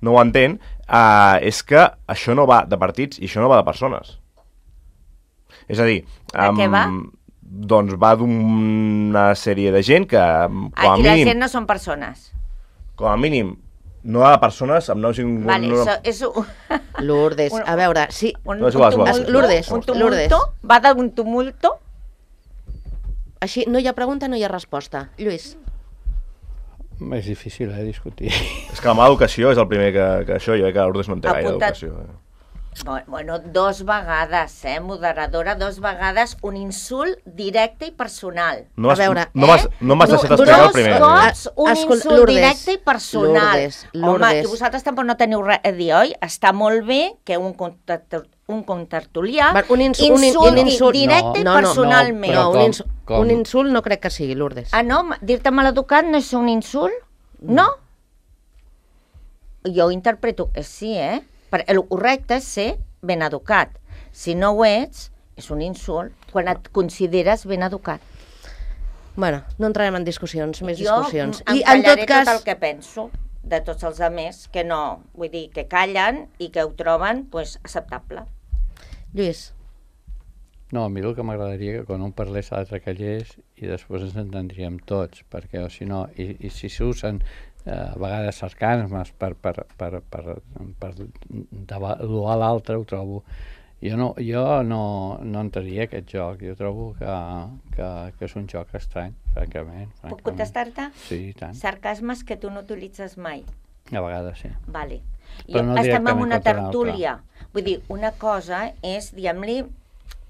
Speaker 5: no ho entén, uh, és que això no va de partits i això no va de persones. És a dir...
Speaker 3: De què va?
Speaker 5: Doncs va d'una sèrie de gent que, com a
Speaker 3: Ah, I la
Speaker 5: mínim,
Speaker 3: gent no són persones.
Speaker 5: com a mínim, no va de persones amb noms... i-
Speaker 3: Vale,
Speaker 5: no,
Speaker 3: això és un,
Speaker 2: Lourdes,
Speaker 3: Un-
Speaker 2: a veure, sí,
Speaker 3: un,
Speaker 5: No, és igual, és igual.
Speaker 3: tumulto,
Speaker 2: Lourdes,
Speaker 3: un tumulto,
Speaker 2: Lourdes.
Speaker 3: va d'un tumulto.
Speaker 2: així no hi ha pregunta, no hi ha resposta. Lluís,
Speaker 4: És difícil, eh, discutir.
Speaker 5: És que la mala educació és el primer que, que això, jo crec que l'Urdes no en té gaire
Speaker 3: Apuntat.
Speaker 5: educació. Eh?
Speaker 3: Bueno, dos vegades, eh, moderadora, dos vegades un insult directe i personal.
Speaker 5: No has,
Speaker 2: A veure,
Speaker 5: no m'has
Speaker 3: eh?
Speaker 5: no m'has deixat
Speaker 3: Dos
Speaker 5: explicar el primer.
Speaker 3: cops un
Speaker 2: Escolta,
Speaker 3: insult
Speaker 2: Lourdes,
Speaker 3: directe i personal.
Speaker 2: Lourdes,
Speaker 3: Home,
Speaker 2: Lourdes.
Speaker 3: i vosaltres tampoc no teniu res a dir, oi? Està molt bé que un contertu- un contertulià
Speaker 2: Va, un ins- un in-
Speaker 3: insulti
Speaker 2: un insult-
Speaker 3: directe i
Speaker 2: no, no, no,
Speaker 3: personalment.
Speaker 2: no,
Speaker 4: com-
Speaker 2: un, ins
Speaker 4: com?
Speaker 2: un insult no crec que sigui, Lourdes.
Speaker 3: Ah, no? Dir-te maleducat no és un insult? No? Jo ho interpreto que sí, eh? Perquè el correcte és ser ben educat. Si no ho ets, és un insult quan et consideres ben educat.
Speaker 2: Bueno, no entrarem en discussions, més
Speaker 3: jo
Speaker 2: discussions.
Speaker 3: em
Speaker 2: I en tot
Speaker 3: callaré
Speaker 2: cas...
Speaker 3: tot el que penso de tots els altres, que no, vull dir, que callen i que ho troben pues, acceptable.
Speaker 2: Lluís.
Speaker 4: No, a mi el que m'agradaria que quan un parlés l'altre callés i després ens entendríem tots, perquè o si no, i, i si s'usen eh, a vegades sarcasmes per, per, per, per, per devaluar l'altre, ho trobo. Jo no, jo no, no entraria aquest joc, jo trobo que, que, que és un joc estrany, francament. francament.
Speaker 3: Puc contestar-te?
Speaker 4: Sí, i tant.
Speaker 3: Sarcasmes que tu no utilitzes mai.
Speaker 4: A vegades sí.
Speaker 3: Vale.
Speaker 4: Però
Speaker 3: Jo,
Speaker 4: no
Speaker 3: estem en
Speaker 4: directament
Speaker 3: una
Speaker 4: contra
Speaker 3: tertúlia. Vull dir, una cosa és, diguem-li,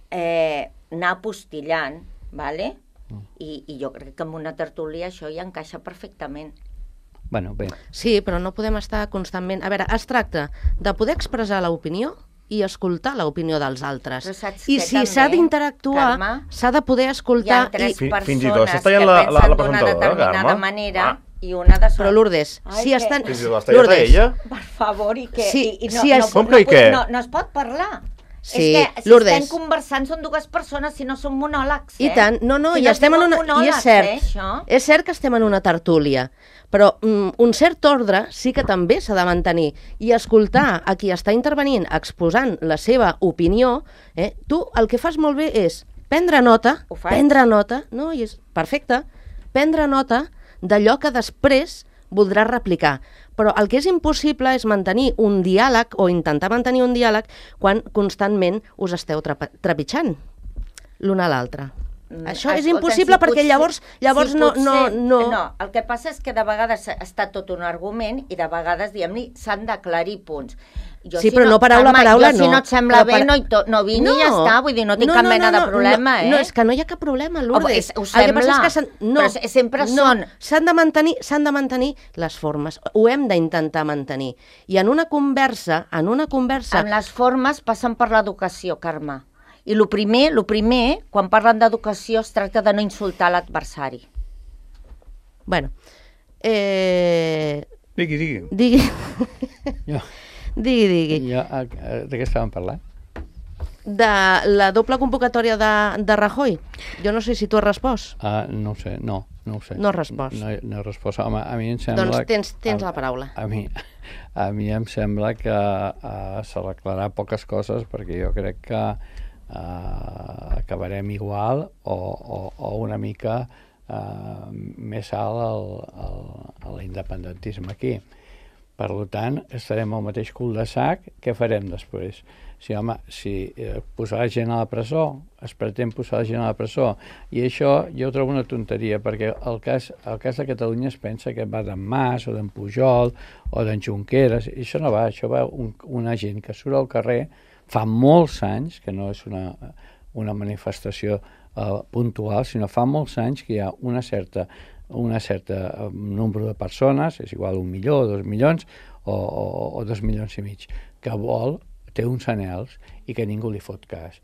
Speaker 3: eh, anar apostillant, vale? Mm. I, I jo crec que en una tertúlia això hi encaixa perfectament.
Speaker 4: Bueno, bé.
Speaker 2: Sí, però no podem estar constantment... A veure, es tracta de poder expressar l'opinió i escoltar l'opinió dels altres.
Speaker 3: Però saps
Speaker 2: I
Speaker 3: què,
Speaker 2: si
Speaker 3: també,
Speaker 2: s'ha d'interactuar,
Speaker 3: Carme?
Speaker 2: s'ha de poder
Speaker 3: Hi ha
Speaker 2: escoltar...
Speaker 3: tres
Speaker 2: I...
Speaker 5: Fi- fins i tot
Speaker 3: persones
Speaker 5: s'està
Speaker 3: que
Speaker 5: tallant la- la-
Speaker 3: pensen
Speaker 5: la
Speaker 3: d'una
Speaker 5: presentadora,
Speaker 3: determinada
Speaker 5: Carme.
Speaker 3: manera
Speaker 5: Ah.
Speaker 3: i una de
Speaker 2: Però Lourdes,
Speaker 3: Ai,
Speaker 2: si
Speaker 3: que-
Speaker 2: estan...
Speaker 5: Fins i tot l'està tallant
Speaker 2: Lourdes,
Speaker 5: ella?
Speaker 3: Per favor, i que
Speaker 2: Sí,
Speaker 3: i, i no,
Speaker 2: sí, és-
Speaker 3: no,
Speaker 5: Com
Speaker 3: no,
Speaker 5: que i
Speaker 3: no,
Speaker 5: què?
Speaker 3: no, no es pot parlar.
Speaker 2: Sí,
Speaker 3: és que si
Speaker 2: Lourdes.
Speaker 3: estem conversant són dues persones, si no són monòlegs, eh?
Speaker 2: I tant, no, no,
Speaker 3: si
Speaker 2: i
Speaker 3: no
Speaker 2: estem en
Speaker 3: diuen
Speaker 2: una... I és
Speaker 3: monòlegs,
Speaker 2: cert,
Speaker 3: eh, això?
Speaker 2: és cert que estem en una tertúlia, però mm, un cert ordre sí que també s'ha de mantenir i escoltar a qui està intervenint exposant la seva opinió, eh, tu el que fas molt bé és prendre nota,
Speaker 3: Ho faig.
Speaker 2: prendre nota, no, i és perfecte, prendre nota d'allò que després voldràs replicar. Però el que és impossible és mantenir un diàleg o intentar mantenir un diàleg quan constantment us esteu trapa- trepitjant l'un a l'altre.
Speaker 3: Mm,
Speaker 2: Això és
Speaker 3: escolta,
Speaker 2: impossible
Speaker 3: si
Speaker 2: perquè
Speaker 3: potser-
Speaker 2: llavors, llavors
Speaker 3: si
Speaker 2: no,
Speaker 3: potser-
Speaker 2: no, no...
Speaker 3: No, el que passa és que de vegades està tot un argument i de vegades, diguem-ne, s'han d'aclarir punts. Jo,
Speaker 2: Sí,
Speaker 3: si
Speaker 2: però no paraula a
Speaker 3: Carme,
Speaker 2: paraula,
Speaker 3: jo,
Speaker 2: no.
Speaker 3: si no et sembla
Speaker 2: Però
Speaker 3: bé,
Speaker 2: per-
Speaker 3: no, hi to, no vini i ja està, vull dir, no tinc
Speaker 2: No,
Speaker 3: cap
Speaker 2: no,
Speaker 3: mena
Speaker 2: no,
Speaker 3: de problema,
Speaker 2: no,
Speaker 3: eh?
Speaker 2: No, és que no hi ha cap problema, Lourdes.
Speaker 3: és- ho
Speaker 2: El que passa
Speaker 3: sembla,
Speaker 2: és que s'han- no,
Speaker 3: però se- sempre
Speaker 2: no,
Speaker 3: són-
Speaker 2: s'han de mantenir, s'han de mantenir les formes. Ho hem d'intentar mantenir. I en una conversa, en una conversa...
Speaker 3: Amb les formes passen per l'educació, Carme. I el primer, lo primer, quan parlen d'educació, es tracta de no insultar l'adversari.
Speaker 2: Bueno, eh...
Speaker 1: Digui, digui.
Speaker 2: digui...
Speaker 4: Jo,
Speaker 2: digui, digui.
Speaker 4: jo, eh, eh, de què estàvem parlant?
Speaker 2: De la doble convocatòria de, de Rajoy. Jo no sé si tu has respost.
Speaker 4: Uh, no ho sé, no, no ho sé.
Speaker 2: No has respost.
Speaker 4: No, no he respost. Home, a mi em sembla...
Speaker 2: Doncs tens, tens
Speaker 4: a,
Speaker 2: la paraula.
Speaker 4: A mi, a mi em sembla que uh, s'arreglarà poques coses perquè jo crec que uh, acabarem igual o, o, o una mica uh, més alt al, al, a l'independentisme aquí. Per tant, estarem al mateix cul de sac. Què farem després? Si, home, si eh, posar la gent a la presó, es pretén posar la gent a la presó, i això jo ho trobo una tonteria, perquè el cas, el cas de Catalunya es pensa que va d'en Mas o d'en Pujol o d'en Junqueras, i això no va, això va un, una gent que surt al carrer fa molts anys, que no és una, una manifestació eh, puntual, sinó fa molts anys que hi ha una certa una certa nombre de persones, és igual un milió o dos milions o, o, o dos milions i mig, que vol, té uns anhels i que ningú li fot cas.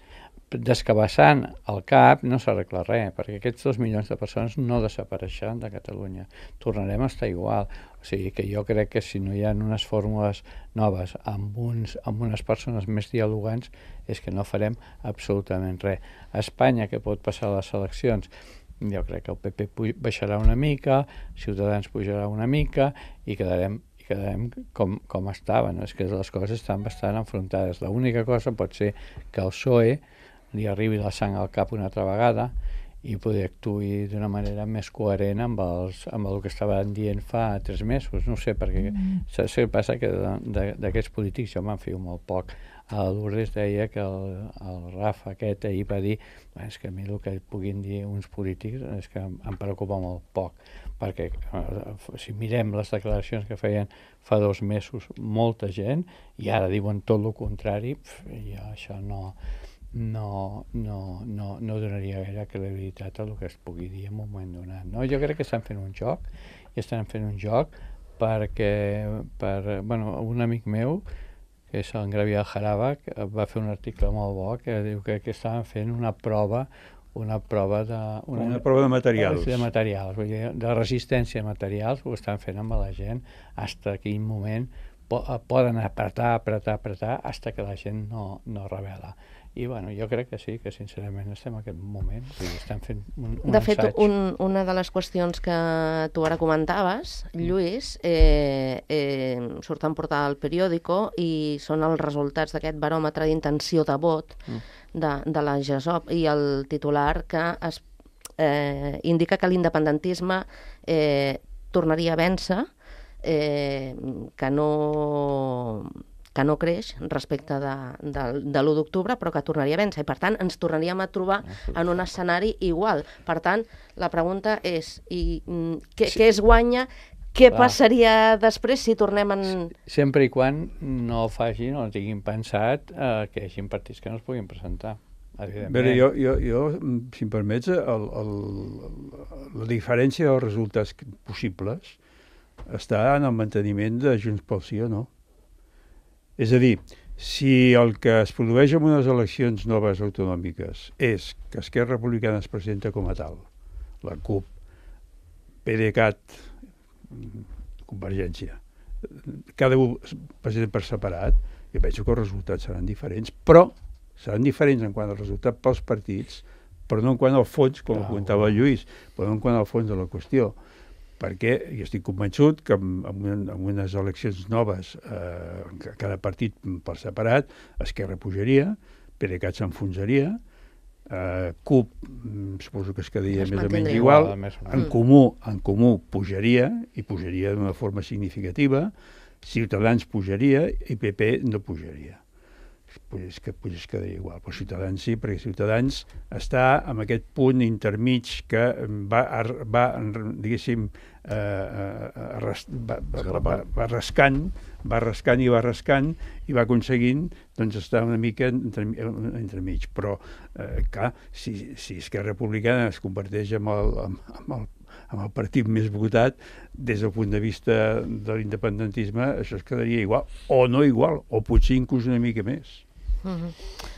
Speaker 4: Descabassant el cap no s'arregla res, perquè aquests dos milions de persones no desapareixeran de Catalunya. Tornarem a estar igual. O sigui que jo crec que si no hi ha unes fórmules noves amb, uns, amb unes persones més dialogants és que no farem absolutament res. A Espanya, que pot passar a les eleccions, jo crec que el P P baixarà una mica, Ciutadans pujarà una mica i quedarem, i quedarem com, com estaven. És que les coses estan bastant enfrontades. L'única cosa pot ser que el P S O E li arribi la sang al cap una altra vegada i poder actuar d'una manera més coherent amb, els, amb el que estaven dient fa tres mesos. No sé, perquè mm. saps què passa? Que d'aquests polítics jo me'n fio molt poc. A Lourdes deia que el, el Rafa aquest ahir va dir és que a mi el que puguin dir uns polítics és que em, em preocupa molt poc, perquè eh, si mirem les declaracions que feien fa dos mesos molta gent i ara diuen tot el contrari, pf, ja això no, no, no, no, no donaria gaire credibilitat a el que es pugui dir en un moment donat. No? Jo crec que estan fent un joc i estan fent un joc perquè per, bueno, un amic meu que és en Gabriel Jaraba, que va fer un article molt bo que diu que, que estaven fent una prova una prova de...
Speaker 1: Una, una prova de materials.
Speaker 4: De materials, vull dir, de resistència a materials, ho estan fent amb la gent, fins a quin moment po poden apretar, apretar, apretar, fins que la gent no, no revela. I bueno, jo crec que sí, que sincerament estem en aquest moment, o sigui, estem fent un, un
Speaker 2: De fet,
Speaker 4: assaig.
Speaker 2: un, una de les qüestions que tu ara comentaves, Lluís, eh, eh, surten portada al periòdico i són els resultats d'aquest baròmetre d'intenció de vot
Speaker 4: Mm.
Speaker 2: de, de la GESOP i el titular que es, eh, indica que l'independentisme eh, tornaria a vèncer, eh, que no... que no creix respecte de, de, de l'u d'octubre, però que tornaria a vèncer. I, per tant, ens tornaríem a trobar en un escenari igual. Per tant, la pregunta és, i, mm, què,
Speaker 4: Sí.
Speaker 2: què es guanya? Què
Speaker 4: Clar.
Speaker 2: passaria després si tornem en...
Speaker 4: Sempre i quan no facin o no tinguin pensat eh, que hi hagi partits que no es puguin presentar.
Speaker 1: A veure, jo, jo, jo, si em permets, el, el, la diferència dels resultats possibles està en el manteniment de Junts pel Sí o no. És a dir, si el que es produeix en unes eleccions noves autonòmiques és que Esquerra Republicana es presenta com a tal, la CUP, PDeCAT, Convergència, cada un es presenta per separat, jo penso que els resultats seran diferents, però seran diferents en quant al resultat pels partits, però no en quant al fons, com
Speaker 4: Ah,
Speaker 1: comentava el Lluís, però no en quant al fons de la qüestió. Perquè jo estic convençut que en, en, en unes eleccions noves eh, cada partit per separat, Esquerra pujaria, PDeCAT s'enfonsaria, eh, CUP suposo que es quedaria
Speaker 2: Es
Speaker 1: més o menys
Speaker 2: mantindria
Speaker 1: igual,
Speaker 4: igual, més o menys.
Speaker 1: en comú, en comú pujaria, i pujaria d'una forma significativa, Ciutadans pujaria i P P no pujaria. Pues és que pues es quedaria igual, però Ciutadans sí, perquè Ciutadans està en aquest punt intermig que va, va diguéssim, eh, arras, va, va, va, va rascant, va rascant i va rascant i va aconseguint doncs, estar una mica entre, entremig. Però, eh, clar, si, si Esquerra Republicana es converteix en el, en el amb el partit més votat, des del punt de vista de l'independentisme, això es quedaria igual, o no igual, o potser inclús una mica més.
Speaker 2: Mm-hmm.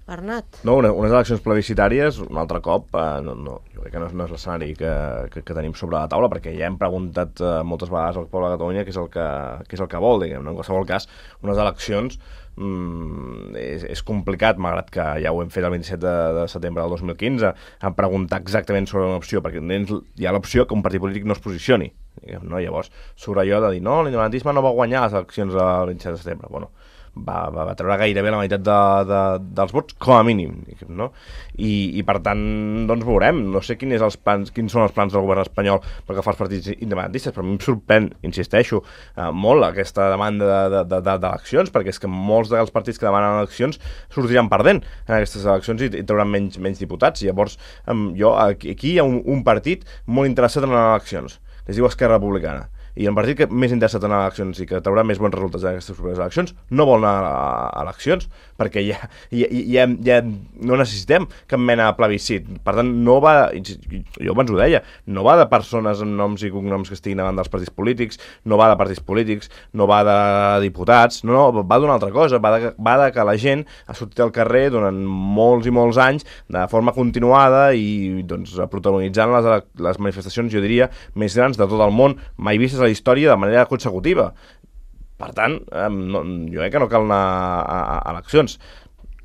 Speaker 2: Bernat?
Speaker 5: No, una, unes eleccions plebiscitàries, un altre cop, eh, no, no, jo crec que no és, no és l'escenari que, que, que tenim sobre la taula, perquè ja hem preguntat eh, moltes vegades al poble de Catalunya què és el que, què és el que vol, diguem, no? En qualsevol cas, unes eleccions mm, és, és complicat, malgrat que ja ho hem fet el vint-i-set de, de setembre del dos mil quinze, a preguntar exactament sobre una opció, perquè hi ha l'opció que un partit polític no es posicioni, diguem, no? Llavors, sobre allò de dir, no, l'independentisme no va guanyar les eleccions el vint-i-set de setembre, bueno, Va, va, va treure gairebé la meitat de, de, dels vots, com a mínim, no? I, i per tant, doncs veurem. No sé quin és els plans, quins són els plans del govern espanyol pel que fa als partits independentistes, però a mi em sorprèn, insisteixo, eh, molt aquesta demanda de, de, de, d'eleccions, perquè és que molts dels partits que demanen eleccions sortiran perdent en aquestes eleccions i, i trauran menys, menys diputats. I llavors, eh, jo, aquí, aquí hi ha un, un partit molt interessat en les eleccions, que es diu Esquerra Republicana. I el partit que més interessat en eleccions i que traurà més bons resultats en aquestes properes eleccions no vol anar a eleccions, perquè ja, ja, ja, ja no necessitem cap mena de plebiscit. Per tant, no va, jo abans ho deia, no va de persones amb noms i cognoms que estiguin davant dels partits polítics, no va de partits polítics, no va de diputats, no, no, va d'una altra cosa, va de, va de que la gent ha sortit al carrer durant molts i molts anys de forma continuada i doncs, protagonitzant les, les manifestacions, jo diria, més grans de tot el món, mai vistes la història de manera consecutiva. Per tant, eh, no, jo crec que no cal anar a, a, a eleccions.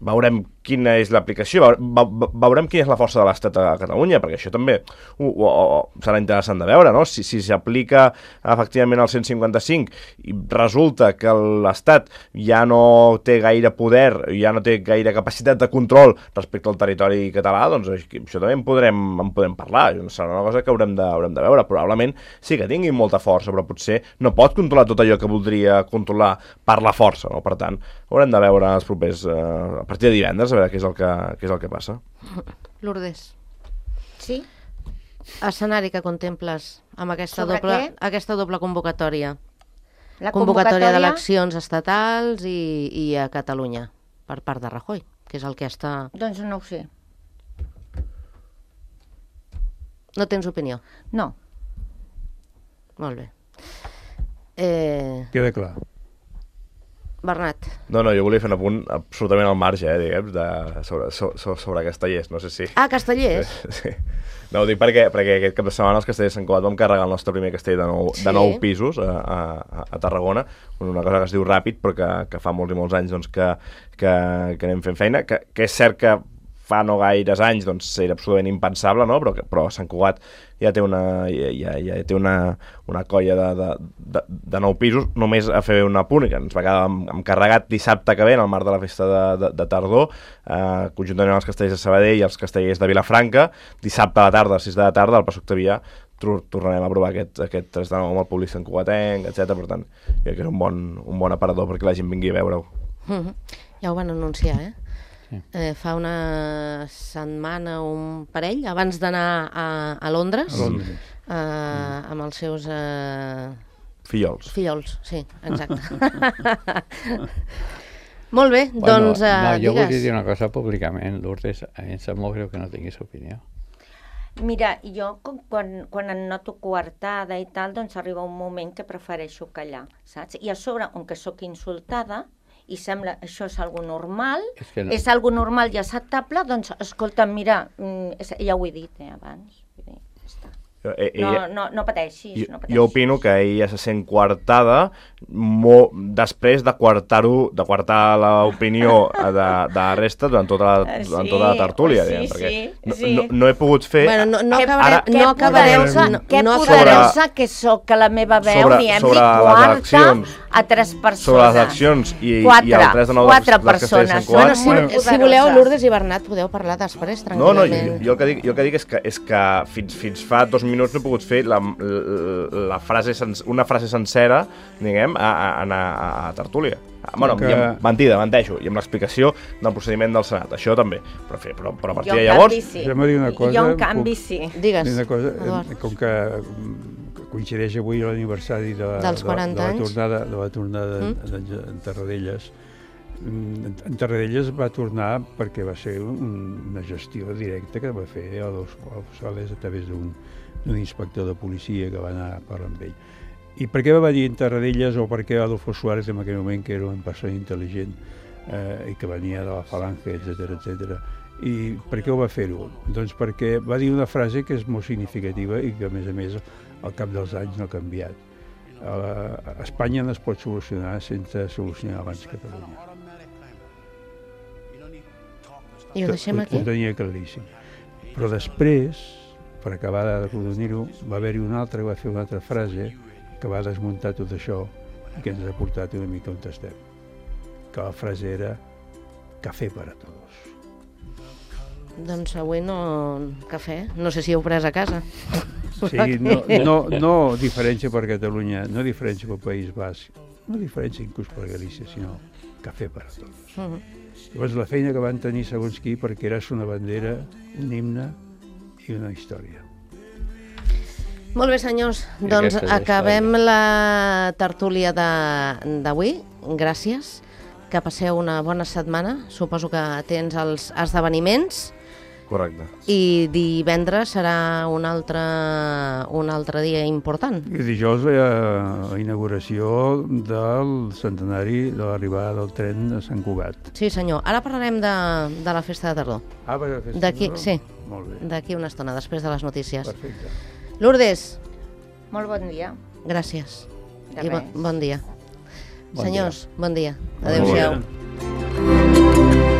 Speaker 5: Veurem quina és l'aplicació, veurem quina és la força de l'Estat a Catalunya, perquè això també uh, uh, uh, serà interessant de veure, no? Si, si s'aplica efectivament el cent cinquanta-cinc i resulta que l'Estat ja no té gaire poder, ja no té gaire capacitat de control respecte al territori català, doncs això també en podrem, en podem parlar, serà una cosa que haurem de, haurem de veure. Probablement sí que tingui molta força, però potser no pot controlar tot allò que voldria controlar per la força, no? Per tant, haurem de veure els propers, eh, a partir de divendres, a veure què és el que, què és el que passa.
Speaker 2: Lourdes.
Speaker 3: Sí?
Speaker 2: Escenari que contemples amb aquesta,
Speaker 3: Sobre
Speaker 2: doble,
Speaker 3: què?
Speaker 2: aquesta doble convocatòria.
Speaker 3: La
Speaker 2: Convocatòria
Speaker 3: convocatòria
Speaker 2: d'eleccions estatals i, i a Catalunya, per part de Rajoy, que és el que està...
Speaker 3: Doncs no ho sé.
Speaker 2: No tens opinió?
Speaker 3: No.
Speaker 2: Molt bé. Eh...
Speaker 1: Queda clar.
Speaker 2: Bernat.
Speaker 5: No, no, jo volia fer un apunt absolutament al marge, eh, diguem, de, sobre, sobre, sobre Castellers, no sé si...
Speaker 2: Ah, Castellers?
Speaker 5: Sí. No, ho dic perquè, perquè aquest cap de setmana els Castellers Sant Cugat vam carregar el nostre primer castell de nou, sí. de nou pisos a, a, a Tarragona, una cosa que es diu Ràpid, però que, que fa molts i molts anys doncs, que, que, que anem fent feina, que, que és cert que fa no gaires anys doncs, era absolutament impensable, no? però, però Sant Cugat ja té una, ja, ja té una, una colla de, de, de, de nou pisos, només a fer una punt, que ens va quedar encarregat dissabte que ve, en el marc de la festa de, de, de tardor, eh, conjuntament amb els castellers de Sabadell i els castellers de Vilafranca, dissabte a la tarda, a les sis de la tarda, al Passeig Octavià, tornarem a provar aquest, aquest tres de nou amb el públic santcugatenc, etcètera. Per tant, crec que és un bon, un bon aparador perquè la gent vingui a veure-ho.
Speaker 2: Mm-hmm. Ja ho van anunciar, eh?
Speaker 4: Sí.
Speaker 2: Eh, fa una setmana o un parell, abans d'anar a, a Londres,
Speaker 1: A Londres.
Speaker 2: eh, amb els seus... Eh...
Speaker 5: Fillols.
Speaker 2: Fillols, sí, exacte. Molt bé,
Speaker 4: Bueno,
Speaker 2: doncs eh,
Speaker 4: no, jo
Speaker 2: digues.
Speaker 4: volia dir una cosa públicament, Lourdes, a mi em sap molt greu que no tinguis opinió.
Speaker 3: Mira, jo com quan, quan em noto coartada i tal, doncs arriba un moment que prefereixo callar, saps? I a sobre, on que sóc insultada, i sembla això és algo normal,
Speaker 4: És que no.
Speaker 3: és algo normal i acceptable, doncs escolta, mira, mm, és, ja ho he dit eh, abans, vull dir, ja està.
Speaker 5: Eh,
Speaker 3: No,
Speaker 5: ella,
Speaker 3: no, no pateixis,
Speaker 5: jo,
Speaker 3: no pateixis.
Speaker 5: jo opino que ella se sent coartada mo, després de coartar-ho, de coartar l'opinió de, de la resta durant tota la,
Speaker 3: Eh,
Speaker 5: durant
Speaker 3: sí,
Speaker 5: tota la tertúlia,
Speaker 3: sí,
Speaker 5: diguem, perquè
Speaker 3: sí,
Speaker 5: no,
Speaker 3: sí.
Speaker 5: no, no he pogut fer...
Speaker 2: Bueno, no, no
Speaker 3: Què-
Speaker 2: acabarem...
Speaker 5: ara-
Speaker 2: no acabarem...
Speaker 3: poderosa,
Speaker 2: No,
Speaker 3: què
Speaker 2: no
Speaker 3: poderosa
Speaker 2: acabarem...
Speaker 3: que sóc, que la meva veu
Speaker 5: Sobre-
Speaker 3: ni hem
Speaker 5: sobre
Speaker 3: dit
Speaker 5: les
Speaker 3: quarta
Speaker 5: eleccions.
Speaker 3: a tres persones.
Speaker 5: Sobre les eleccions i,
Speaker 3: Quatre,
Speaker 5: i el tres de nou dels,
Speaker 3: quatre
Speaker 5: dels Castellers
Speaker 3: persones.
Speaker 5: Sant Cugat.
Speaker 2: Bueno, si,
Speaker 3: Molt
Speaker 2: si
Speaker 3: poderosa.
Speaker 2: voleu, Lourdes i Bernat, podeu parlar després,
Speaker 5: No, no, jo,
Speaker 2: tranquil·lament.
Speaker 5: jo, el que dic, jo el que dic és que, és que fins, fins fa dos minuts no he pogut fer la, la, la frase sens, una frase sencera, diguem, a, a, a, a, a tertúlia. Bueno,
Speaker 1: Que-
Speaker 5: i amb, mentida, menteixo, i amb l'explicació del procediment del Senat, això també. Però, fer, però, però a partir
Speaker 3: Jo,
Speaker 5: de
Speaker 3: en
Speaker 5: llavors...
Speaker 3: canvi, sí.
Speaker 1: Deixa'm dir una cosa,
Speaker 3: Jo, en
Speaker 1: com-
Speaker 3: canvi, sí.
Speaker 2: Digues,
Speaker 1: Una cosa,
Speaker 2: Eduard.
Speaker 1: eh, com que mm, coincideix avui l'aniversari de,
Speaker 2: Dels
Speaker 1: de,
Speaker 2: quaranta
Speaker 1: de la
Speaker 2: anys.
Speaker 1: tornada, de la tornada
Speaker 2: Mm.
Speaker 1: mm. en, en Tarradellas. Mm, En Tarradellas va tornar perquè va ser un, una gestió directa que va fer a dos Sales a través d'un d'un inspector de policia que va anar a parlar amb ell. I per què va venir en Tarradellas o per què Adolfo Suárez en aquell moment, que era una persona intel·ligent eh, i que venia de la falange, etcètera, etcètera. I per què ho va fer-ho? Doncs perquè va dir una frase que és molt significativa i que, a més a més, al cap dels anys no ha canviat. A Espanya no es pot solucionar sense solucionar abans Catalunya.
Speaker 2: I ho deixem aquí.
Speaker 1: Ho tenia claríssim. Però després, per acabar de rodonir-ho, va haver-hi un altre que va fer una altra frase que va desmuntar tot això i que ens ha portat una mica on estem. Que la frase era café para todos.
Speaker 2: Doncs avui no... cafè. No sé si heu pres a casa.
Speaker 1: Sí, no, no, no diferència per Catalunya, no diferència pel País Basc, no diferència inclús per Galícia, sinó café para todos.
Speaker 2: Uh -huh.
Speaker 1: Llavors la feina que van tenir segons qui perquè era una bandera, un himne i una història.
Speaker 2: Molt bé, senyors.
Speaker 4: I
Speaker 2: Doncs
Speaker 4: aquesta és la
Speaker 2: acabem
Speaker 4: història.
Speaker 2: la tertúlia de- d'avui. Gràcies. Que passeu una bona setmana. Suposo que tens els esdeveniments.
Speaker 5: Correcte.
Speaker 2: I divendres serà un altre, un altre dia important.
Speaker 1: I dijous la, la inauguració del centenari de l'arribada del tren a Sant Cugat.
Speaker 2: Sí, senyor. Ara parlarem de, de la festa de tardor.
Speaker 1: Ah, per la festa
Speaker 2: D'aquí,
Speaker 1: de-
Speaker 2: sí.
Speaker 1: Molt bé,
Speaker 2: D'aquí una estona, després de les notícies.
Speaker 1: perfecte.
Speaker 2: Lourdes,
Speaker 3: Molt bon dia.
Speaker 2: gràcies.
Speaker 3: De
Speaker 2: I bo,
Speaker 3: res.
Speaker 2: bon dia.
Speaker 4: Bon
Speaker 2: Senyors, bon dia.
Speaker 5: Bon
Speaker 2: Adéu-siau.
Speaker 5: dia.